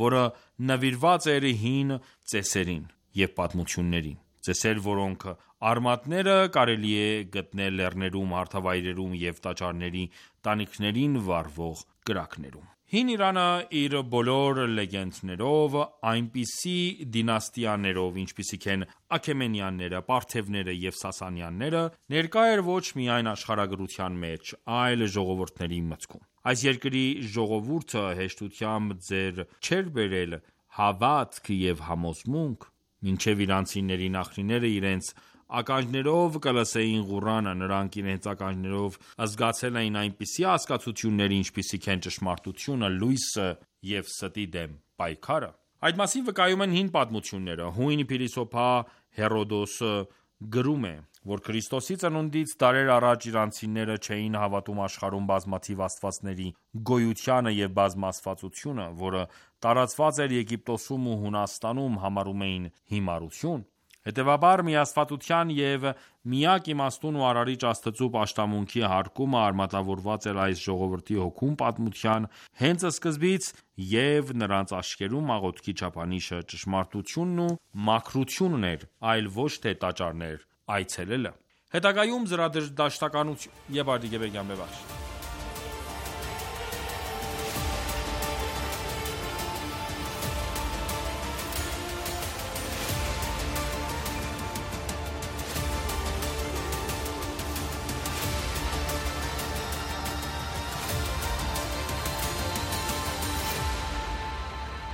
որը նվիրված էր հին ծեսերին և պատմություններին, ծեսեր, որոնք արմատները կարելի է գտնել լեռներում, հարթավայրերում և տաճարների տանիքներին վառվող կրակներում։ Հին Իրանը իր բոլոր լեգենդներով, այնպիսի դինաստիաներով, ինչպիսիք են Աքեմենյանները, Պարթևները և Սասանյանները, ներկա էր ոչ միայն աշխարհագրության մեջ, այլ ժողովուրդների մտքում։ Այս երկրի ժողովուրդը հեշտությամբ ձեռ չէր բերել հավատք և համոզմունք, մինչև իրանցիների նախնիները իրենց ականջներով կլսեին Ղուրանը, նրանք իրենց ականջներով զգացել էին այնպիսի հասկացություններ, ինչպիսիք են ճշմարտությունը, լույսը և ստի դեմ պայքարը։ Այդ մասին վկայում են հին պատմությունները։ Հույն փիլիսոփա Հերոդոսը գրում է, որ Քրիստոսի ծնունդից դարեր առաջ իրանցիները չէին հավատում աշխարհում բազմաթիվ աստվածների գոյությանը և բազմաստվածությունը, որը տարածված էր Եգիպտոսում ու Հունաստանում, համարում էին հիմարություն։ Հետևաբար միաստվածության և միակ իմաստուն ու արարիչ Աստծու պաշտամունքի հարկումը արմատավորված էր այս ժողովրդի հոգում պատմության հենց սկզբից, և նրանց աչքերում աղոթքի չափանիշը ճշմարտությունն ու մաքրությունն էր, այլ ոչ թե տաճարներ այցելելը։ Հետագայում զրադաշտականություն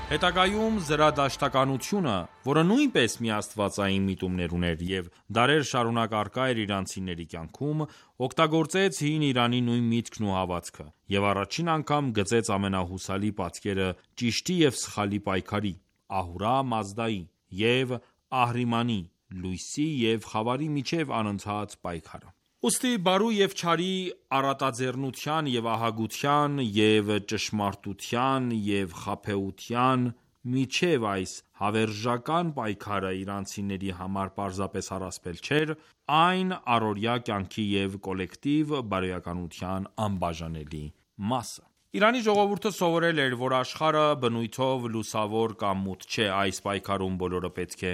Հետագայում զրադաշտականությունը, որը նույնպես միաստվածային միտումներ ուներ և դարեր շարունակ առկա էր իրանցիների կյանքում, օգտագործեց հին Իրանի նույն միտքն ու հավատքը, և առաջին անգամ գծեց ամենահուսալի պատկերը ճիշտի և սխալի պայքարի, Ահուրա Մազդայի և Ահրիմանի, լույսի և խավարի միջև անընդհատ պայքարը։ Ուստի բարու և չարի առատաձեռնության և ահագության և ճշմարտության և խաբեության միջև այս հավերժական պայքարը իրանցիների համար պարզապես առասպել չէր, այն առօրյա կյանքի և կոլեկտիվ բարոյականության անբաժանելի մասը։ Իրանի ժողովուրդը սովորել էր, որ աշխարհը բնույթով լուսավոր կամ մութ չէ։ Այս պայքարում բոլորը պետք է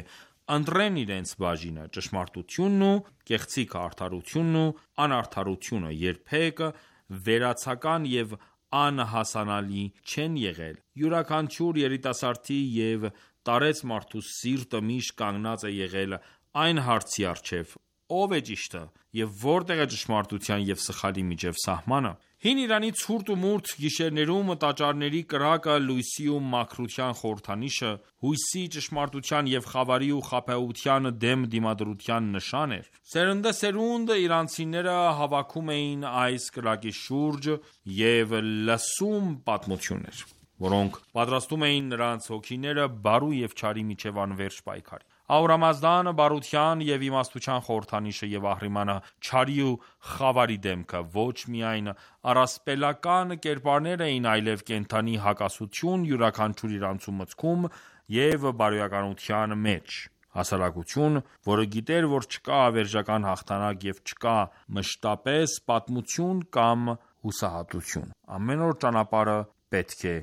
ընտրեն իրենց բաժինը։ Ճշմարտությունն ու կեղծիքը, արդարությունն ու անարդարությունը երբեք վերացական և անհասանալի չեն եղել։ Յուրաքանչյուր երիտասարդի և տարեց մարդու սիրտը միշտ կանգնած է եղել այն հարցի առջև՝ ո՞վ է ճիշտը և որտե՞ղ է ճշմարտության և սխալի միջև սահմանը։ Հին Իրանի ցուրտ ու մութ գիշերներում տաճարների կրակը լույսի ու մաքրության խորհրդանիշը, հույսի, ճշմարտության և խավարի ու խաբեության դեմ դիմադրության նշան էր։ Սերնդեսերունդ իրանցիները հավաքում էին այս կրակի շուրջ և լսում պատմություններ, որոնք պատրաստում էին նրանց հոգիները բարու և չարի միջև անվերջ պայքարի։ Ահուրա Մազդան բարության և իմաստության խորհրդանիշը և Ահրիմանը չարի ու խավարի դեմքը ոչ միայն առասպելական կերպարներ էին, այլև կենդանի հակասություն յուրաքանչյուր իրանցու մտքում և բարոյականության մեջ։ Հասարակություն, որը գիտեր, որ չկա հավերժական հաղթանակ և չկա մշտապես պատմություն կամ հուսահատություն։ Ամեն օր ճանապարհը պետք է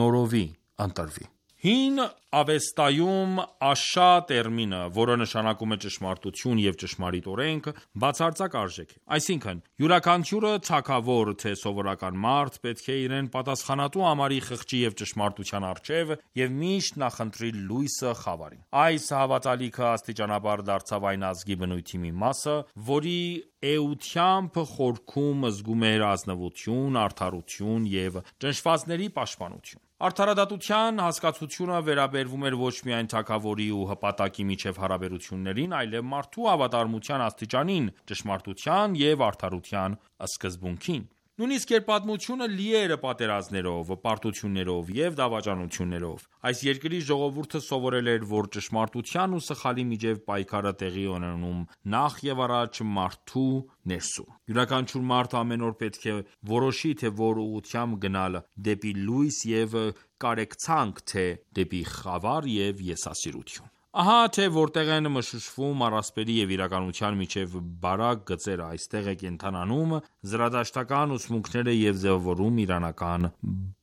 նորովի ընտրվի։ Հին Ավեստայում Աշա տերմինը, որը նշանակում է ճշմարտություն և ճշմարիտ օրենք, բացարձակ արժեք է։ Այսինքն, յուրաքանչյուրը թագավոր, թե սովորական մարդ, պետք է իրեն պատասխանատու համարի խղճի և ճշմարտության առջև և միշտ նախընտրի լույսը խավարին։ Այս հավատալիքը աստիճանաբար դարձավ այն ազգի բնույթի մի մասը, որի էությամբ խորքում զգում էր ազնվություն, արդարություն և ճնշվածների պաշտպանություն։ Արդարադատության հասկացությունը վերաբերվում էր ոչ միայն թագավորի ու հպատակի միջև հարաբերություններին, այլև մարդու հավատարմության աստիճանին, ճշմարտության և արդարության սկզբունքին։ Նույնիսկ երբ պատմությունը լի էր պատերազմներով, պարտություններով և դավաճանություններով, այս երկրի ժողովուրդը սովորել էր, որ ճշմարտության ու սխալի միջև պայքարը տեղի է ունենում նախ և առաջ մարդու ներսում։ Յուրաքանչյուր մարդ ամեն օր պետք է որոշի, թե որ ուղղությամբ գնալ՝ դեպի լույս և կարեկցանք, թե դեպի խավար և եսասիրություն։ Ահա թե որտեղ են մշուշվում առասպելի և իրականության միջև բարակ գծերը, այստեղ է կենդանանում զրադաշտական ուսմունքները և ձևավորում իրանական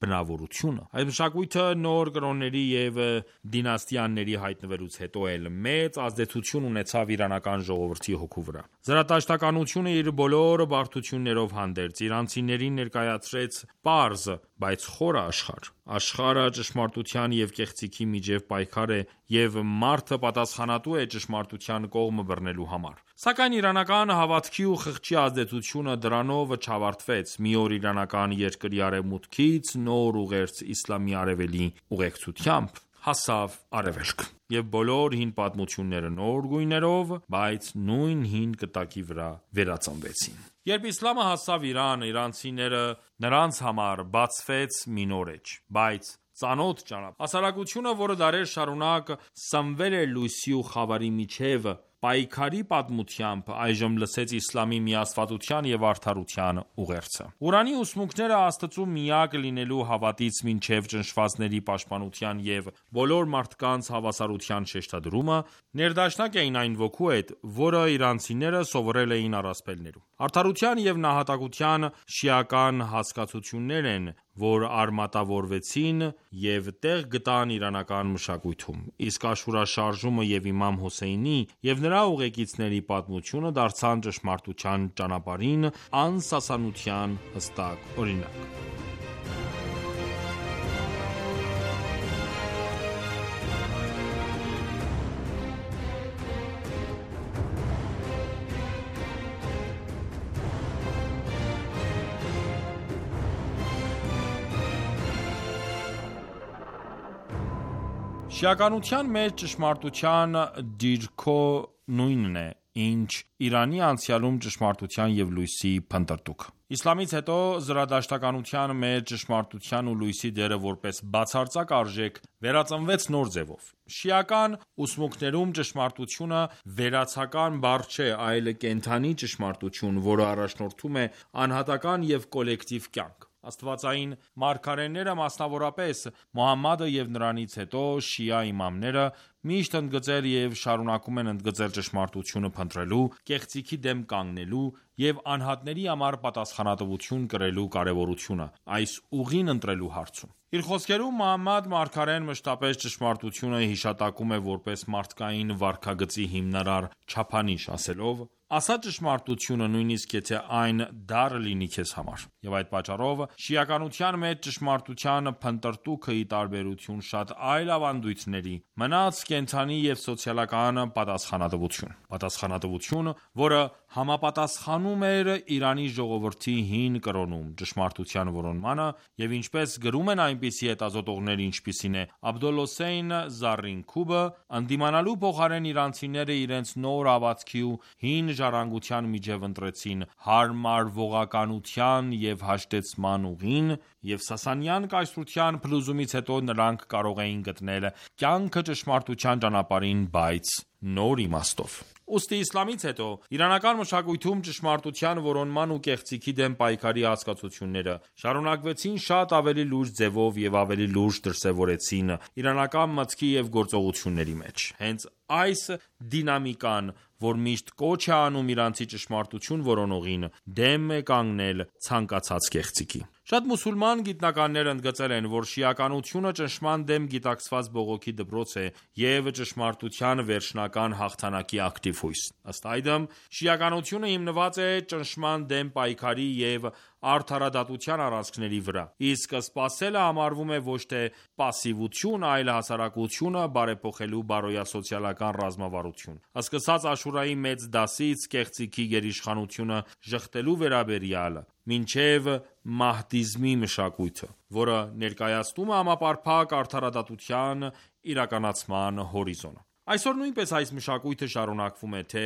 բնավորությունը։ Այս մշակույթը նոր կրոնների և դինաստիաների հայտնվելուց հետո էլ մեծ ազդեցություն ունեցավ իրանական ժողովրդի հոգու վրա։ Զրատաշտականությունը իր բոլոր բարդություններով հանդերձ, իրանցիներին ներկայացրեց պարզ բայց խորը աշխարհ։ Աշխարհը ճշմարտության և կեղծիքի միջև պայքար է, և մարդը պատասխանատու է ճշմարտության կողմը բռնելու համար։ Սակայն իրանական հավատքի ու խղճի ազդեցությունը դրանով չավարտվեց։ Մի օր իրանական երկրի արևմուտքից նոր ուղերձ իսլամի արևելի ուղեկցությամբ հասավ Արևելք, և բոլոր հին պատմությունները նոր գույներով, բայց նույն հին կտակի վրա վերածնվեցին։ Երբ իսլամը հասավ Իրան, իրանցիները նրանց համար բացվեց մի նոր էջ, բայց ծանոթ ճանապարհ։ Հասարակությունը, որը դարեր շարունակ սնվել էր լույսի ու խավարի միջև պայքարի պատմությամբ, այժմ լսեց իսլամի միաստվածության և արդարության ուղերձը։ Ղուրանի ուսմունքները Աստծու միակ լինելու հավատից մինչև ճնշվածների պաշտպանության և բոլոր մարդկանց հավասարության շեշտադրումը, ներդաշնակ էին այն ոգու հետ, որը իրանցիները սովորել էին առասպելներում։ Արդարության և նահատակության շիական հասկացություններ են, որ արմատավորվեցին և տեղ գտան իրանական մշակույթում, իսկ Աշուրա շարժումը և իմամ Հոսեյնի և նրա ուղեկիցների պատմությունը դարձան ճշմարտության ճանապարհին անսասանության հստակ օրինակ։ Շիականության մեջ ճշմարտության դիրքո նույնն է, ինչ Իրանի անցյալում ճշմարտության և լույսի փնտրտուք։ Իսլամից հետո զրադաշտականության մեջ ճշմարտության ու լույսի դերը որպես բացարձակ արժեք վերածնվեց նոր ձևով։ Շիական ուսմունքներում ճշմարտությունը վերացական բառ չէ, այլ կենդանի ճշմարտություն, որը առաջնորդում է անհատական և կոլեկտիվ կյանք։ Աստվածային մարգարեները, մասնավորապես Մոհամմադը և նրանից հետո շիա իմամները, միշտ ընդգծել և շարունակում են ընդգծել ճշմարտությունը փնտրելու, կեղծիքի դեմ կանգնելու և անհատների համար պատասխանատվություն կրելու կարևորությունը այս ուղին ընտրելու հարցում։ Իր խոսքերում Մոհամմադ մարգարեն մշտապես ճշմարտությունը հիշատակում է որպես մարդկային վարքագծի հիմնարար չափանիշ, ասելով. «Ասա ճշմարտությունը, նույնիսկ եթե այն դառ լինի քեզ համար»։ Եվ այդ պատճառով շիականության մեջ ճշմարտության փնտրտուքը, ի տարբերություն շատ այլ ավանդույթների, մնաց կենդանի և սոցիալական պատասխանատվություն։ Պատասխանատվություն, որը համապատասխանում էր Իրանի ժողովրդի հին կրոնում ճշմարտության որոնմանը, և ինչպես գրում են այնպիսի հետազոտողներ, ինչպիսին է Աբդոլհոսեյն Զառինքուբը, ընդդիմանալու փոխարեն իրանցիները իրենց նոր հավատքի ու հին ժառանգության միջև ընտրեցին հարմարվողականության և հաշտեցման ուղին, և Սասանյան կայսրության փլուզումից հետո նրանք կարող էին գտնել կյանքը ճշմարտության ճանապարհին, բայց նոր իմաստով։ Ուստի իսլամից հետո իրանական մշակույթում ճշմարտության որոնման ու կեղծիքի դեմ պայքարի հասկացությունները շարունակվեցին շատ ավելի լուրջ ձևով և ավելի լուրջ դրսևորվեցին իրանական մտքի և գործողությունների մեջ։ Հենց այս դինամիկան, որ միշտ կոչ է անում իրանցի ճշմարտություն որոնողին, դեմ է կանգնել ցանկացած կեղծիքի։ Շատ մուսուլման գիտնականներ ընդգծել են, որ շիականությունը ճնշման դեմ գիտակցված բողոքի դպրոց է և ճշմարտության վերջնական հաղթանակի ակտիվ հույս։ Ըստ այդմ, շիականությունը հիմնված է ճնշման դեմ պայքարի և արդարադատության առանցքների վրա, իսկ սպասելը համարվում է ոչ թե պասիվություն, այլ հասարակությունը բարեփոխելու բարոյասոցիալական ռազմավարություն։ Սկսած Աշուրայի մեծ դասից կեղծիքի գերիշխանությունը ժխտելու վերաբերյալ, մինչև մահդիզմի մշակույթը, որը ներկայացնում է համապարփակ արդարադատության իրականացման հորիզոնը։ Այսօր նույնպես այս մշակույթը շարունակվում է թե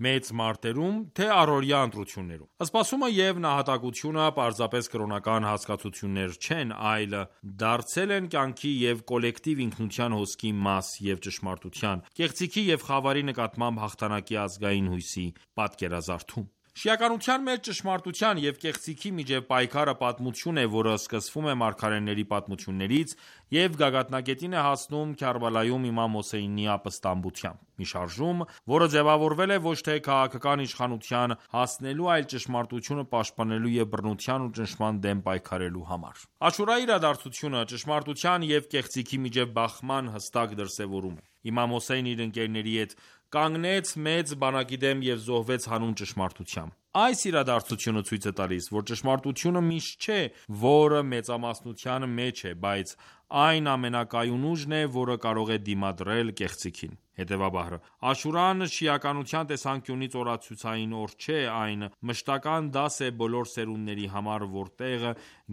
մեծ մարտերում, թե առօրյա ընտրություններում։ Սպասումը և նահատակությունը պարզապես կրոնական հասկացություններ չեն, այլ դարձել են կյանքի և կոլեկտիվ ինքնության հոսքի մաս և ճշմարտության, կեղծիքի և խավարի նկատմամբ հաղթանակի ազգային հույսի պատկերազարդում։ Շիականության մեջ ճշմարտության և կեղծիքի միջև պայքարը պատմություն է, որը սկսվում է մարգարեների պատմություններից և գագաթնակետին է հասնում Քարբալայում իմամ Հոսեյնի ապստամբությամբ։ Մի շարժում, որը ձևավորվել է ոչ թե քաղաքական իշխանության հասնելու, այլ ճշմարտությունը պաշտպանելու և բռնության ու ճնշման դեմ պայքարելու համար։ Աշուրայի իրադարձությունը ճշմարտության և կեղծիքի միջև բախման հստակ դրսևորում է։ Իմամ Հոսեյնը իր ընկերների հետ կանգնեց մեծ բանակի դեմ և զոհվեց հանուն ճշմարտության։ Այս իրադարձությունը ցույց է տալիս, որ ճշմարտությունը միշտ չէ, որը մեծամասնության մեջ է, բայց այն ամենակայուն ուժն է, որը կարող է դիմադրել կեղծիքին։ Հետևաբար, Աշուրան շիականության տեսանկյունից օրացուցային օր չէ, այն մշտական դաս է բոլոր սերունդների համար, որտեղ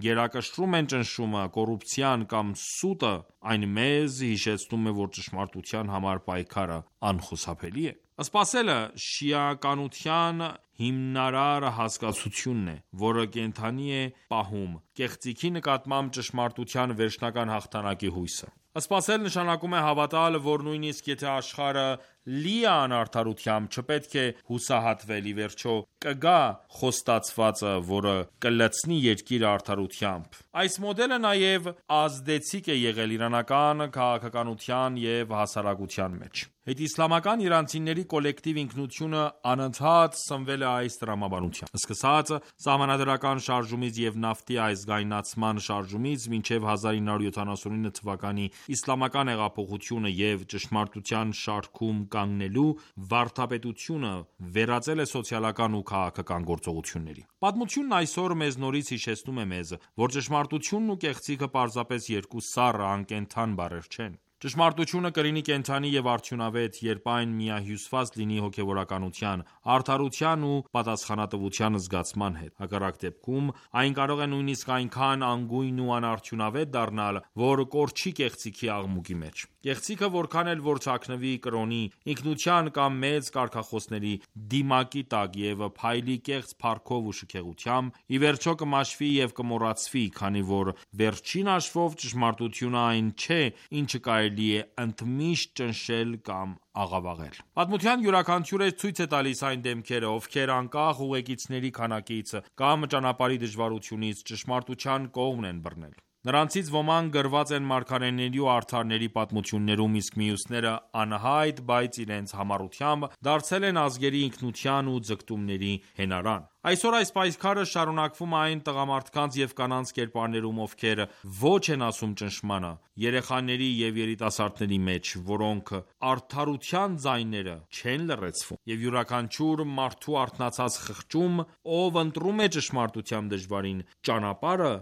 գերակշռում են ճնշումը, կոռուպցիան կամ սուտը, այն մեզ հիշեցնում է, որ ճշմարտության համար պայքարը անխուսափելի է։ Սպասելը շիականության հիմնարար հասկացությունն է, որը կենդանի է պահում կեղծիքի նկատմամբ ճշմարտության վերջնական հաղթանակի հույսը։ Սպասել նշանակում է հավատալ, որ նույնիսկ եթե աշխարհը լի է անարդարությամբ, չպետք է հուսահատվել, ի վերջո կգա խոստացվածը, որը կլցնի երկիրը արդարությամբ։ Այս մոդելը նաև ազդեցիկ է եղել իրանական քաղաքականության և հասարակության մեջ։ Հետիսլամական իրանցիների կոլեկտիվ ինքնությունը անընդհատ սնվել է այս տրամաբանությամբ։ Սկսած սահմանադրական շարժումից և նավթի ազգայնացման շարժումից մինչև հազար ինը հարյուր յոթանասունինը թվականի իսլամական հեղափոխությունը և ճշմարտության շարքում կանգնելու վարդապետությունը վերածել է սոցիալական ու քաղաքական գործողությունների։ Պատմությունն այսօր մեզ նորից հիշեցնում է մեզ, որ ճշմարտությունն ու կեղծիքը պարզապես երկու սառը, անկենդան բառեր չեն։ Ճշմարտությունը կլինի կենդանի և արդյունավետ, երբ այն միահյուսված լինի հոգևորականության, արդարության ու պատասխանատվության զգացման հետ։ Հակառակ դեպքում այն կարող է նույնիսկ այնքան անգույն ու անարդյունավետ դառնալ, որ կորչի կեղծիքի աղմուկի մեջ։ Կեղծիքը որքան էլ որ թաքնվի կրոնի, ինքնության կամ մեծ կարգախոսների դիմակի տակ և փայլի կեղծ փառքով ու շքեղությամբ, ի վերջո կմաշվի և կմոռացվի, քանի որ վերջին հաշվով ճշմարտությունը այն չէ, ինչը կարելի է ընդմիշտ ճնշել կամ աղավաղել։ Պատմության յուրաքանչյուրը ցույց է տալիս այն դեմքերը, ովքեր անկախ ուղեկիցների քանակից կամ ճանապարհի դժվարությունից ճշմարտության կողմն են բռնել։ Նրանցից ոմանք գրված են մարգարեների ու արդարների պատմություններում, իսկ մյուսները անհայտ, բայց իրենց համառությամբ դարձել են ազգերի ինքնության ու ձգտումների հենարան։ Այսօր այս պայքարը շարունակվում է այն տղամարդկանց և կանանց կերպարներում, ովքեր ոչ են ասում ճնշմանը, երեխաների և երիտասարդների մեջ, որոնք արդարության ձայները չեն լռեցվում, և յուրաքանչյուր մարդու արթնացած խղճում, ով ընտրում է ճշմարտության դժվարին ճանապարհը,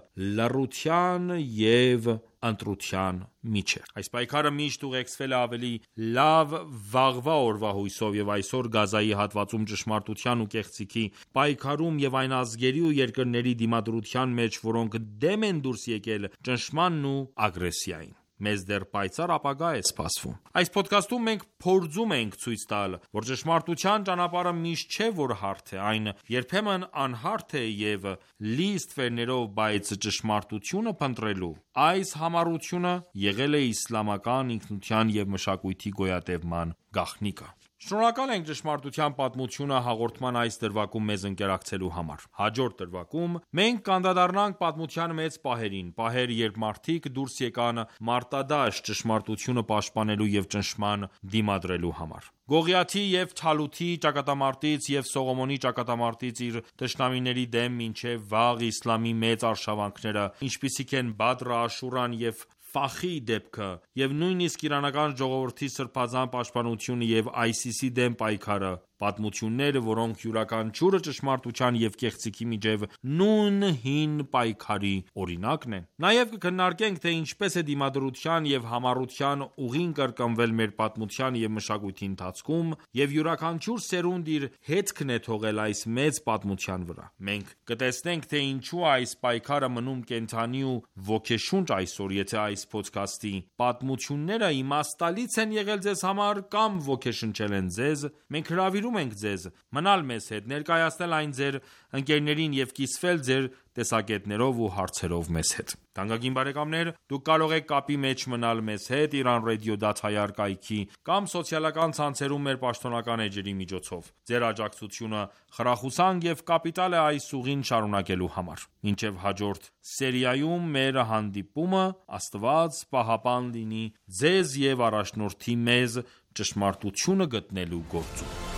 լռության և ընտրության միջև։ Այս պայքարը միշտ ուղեկցվել է ավելի լավ վաղվա օրվա հույսով, և այսօր Գազայի հատվածում ճշմարտության ու կեղծիքի պայքարում և այն ազգերի ու երկրների դիմադրության մեջ, որոնք դեմ են դուրս եկել ճնշմանն ու ագրեսիային։ Մեզ դեռ պայծառ ապագա է սպասվում։ Այս փոդքասթում մենք փորձում ենք ցույց տալ, որ ճշմարտության ճանապարհը միշտ չէ, որ հարթ է, այն երբեմն անհարթ է և լի ստվերներով, բայց ճշմարտությունը փնտրելու այս համառությունը եղել է իսլամական ինքնության և մշակույթի գոյատևման գաղտնիքը։ Շնորհակալ ենք ճշմարտության պատմությունը հաղորդման այս դրվագում մեզ ընկերակցելու համար։ Հաջորդ դրվագում մենք կանդրադառնանք պատմության մեծ պահերին, պահեր, երբ մարդիկ դուրս եկան մարտադաշտ ճշմարտությունը պաշտպանելու և ճնշման դիմադրելու համար։ Գողիաթի և Թալութի ճակատամարտից և Սողոմոնի ճակատամարտից իր թշնամիների դեմ մինչև վաղ իսլամի մեծ արշավանքները, ինչպիսիք են Բադրը, Աշուրան և Ֆախի դեպքը, և նույնիսկ իրանական ժողովրդի սրբազան պաշտպանությունը և այսիսի դեմ պայքարը, պատմություններ, որոնք յուրաքանչյուրը ճշմարտության և կեղծիքի միջև նույն հին պայքարի օրինակն են։ Նաև կքննարկենք, թե ինչպես է դիմադրության և համառության ուղին կրկնվել մեր պատմության և մշակույթի ընթացքում, և յուրաքանչյուր սերունդ իր հետքն է թողել այս մեծ պատմության վրա։ Մենք կտեսնենք, թե ինչու այս պայքարը մնում կենդանի ու ոգեշունչ այսօր, եթե այս փոդքասթի պատմությունները իմաստալից են եղել ձեզ համար կամ ոգեշնչել են ձեզ, մենք հրավիրում ենք ձեզ մնալ մեզ հետ, ներկայացնել այն ձեր ընկերներին և կիսվել ձեր տեսակետներով ու հարցերով մեզ հետ։ Թանկագին բարեկամներ, դուք կարող եք կապի մեջ մնալ մեզ հետ Iran Radio դաթայար կայքի կամ սոցիալական ցանցերում մեր պաշտոնական էջերի միջոցով։ Ձեր աջակցությունը խրախուսանք և կապիտալ է այս ուղին շարունակելու համար։ Մինչև հաջորդ սերիայում մեր հանդիպումը, Աստված պահապան լինի ձեզ և առաջնորդի մեզ ճշմարտությունը գտնելու գործում։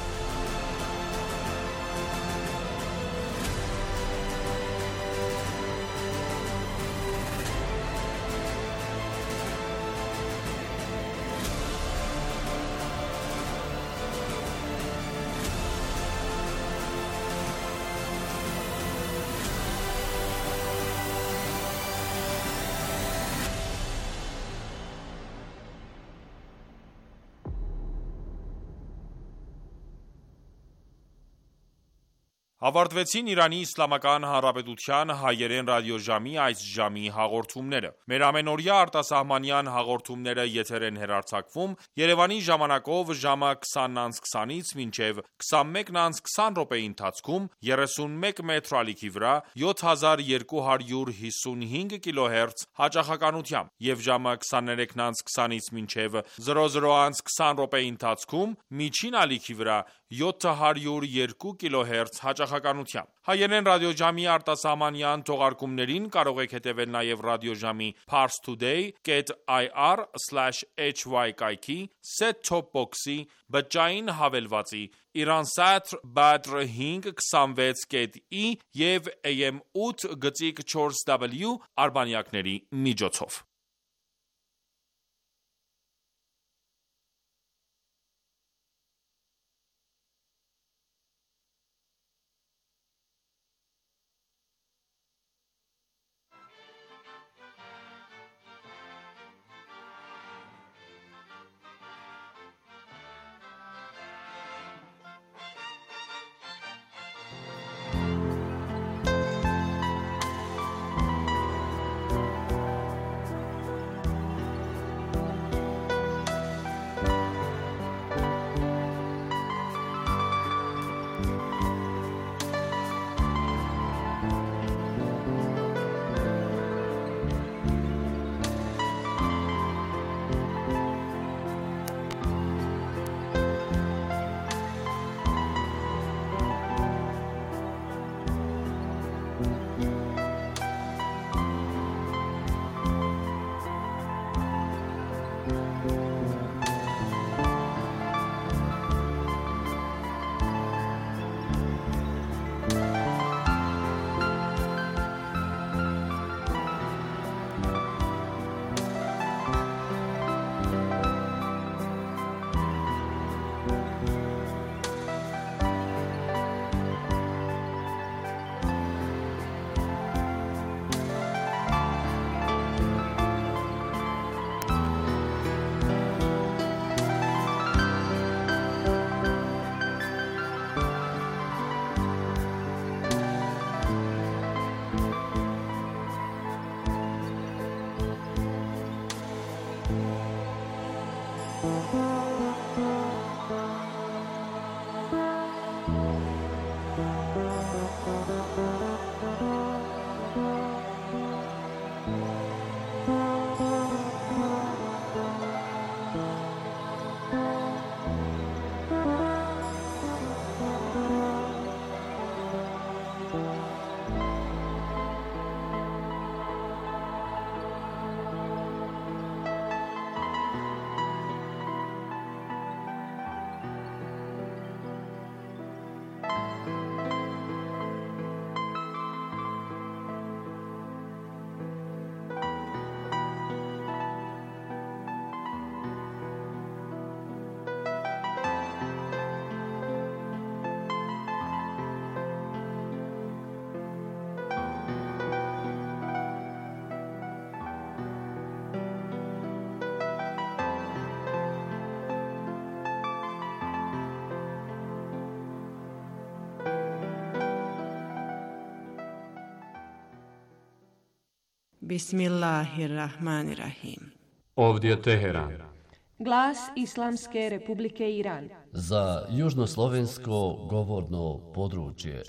Ավարտվեցին Իրանի Իսլամական Հանրապետության հայերեն ռադիոժամի այս ժամի հաղորդումները։ Մեր ամենօրյա արտասահմանյան հաղորդումները եթեր են հեռարձակվում Երևանի ժամանակով ժամը քսանից քսանից մինչև քսանմեկը քսան րոպեի ընթացքում երեսունմեկ մետր ալիքի վրա յոթ հազար երկու հարյուր հիսունհինգ կիլոհերց հաճախականությամբ եւ ժամը քսաներեքը քսանից մինչև զրո զրո քսան րոպեի ընթացքում միջին ալիքի վրա յոթ հարյուր երկու կիլոհերց հաճախականությամբ։ Հայերեն ռադիոժամի արտասահմանյան թողարկումներին կարող եք հետևել նաև ռադիոժամի parstoday dot i r slash h y կայքի set-top box-ի բջջային հավելվածի Iransat Badr հինգ քսանվեց կետ ի և A M ութ գծիկ չորս W արբանյակների միջոցով։ Bismillahirrahmanirrahim. Ovdje Teheran. Glas Islamske Republike Iran. Za južnoslovensko govorno područje.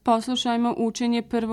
Poslušajmo učenje prvog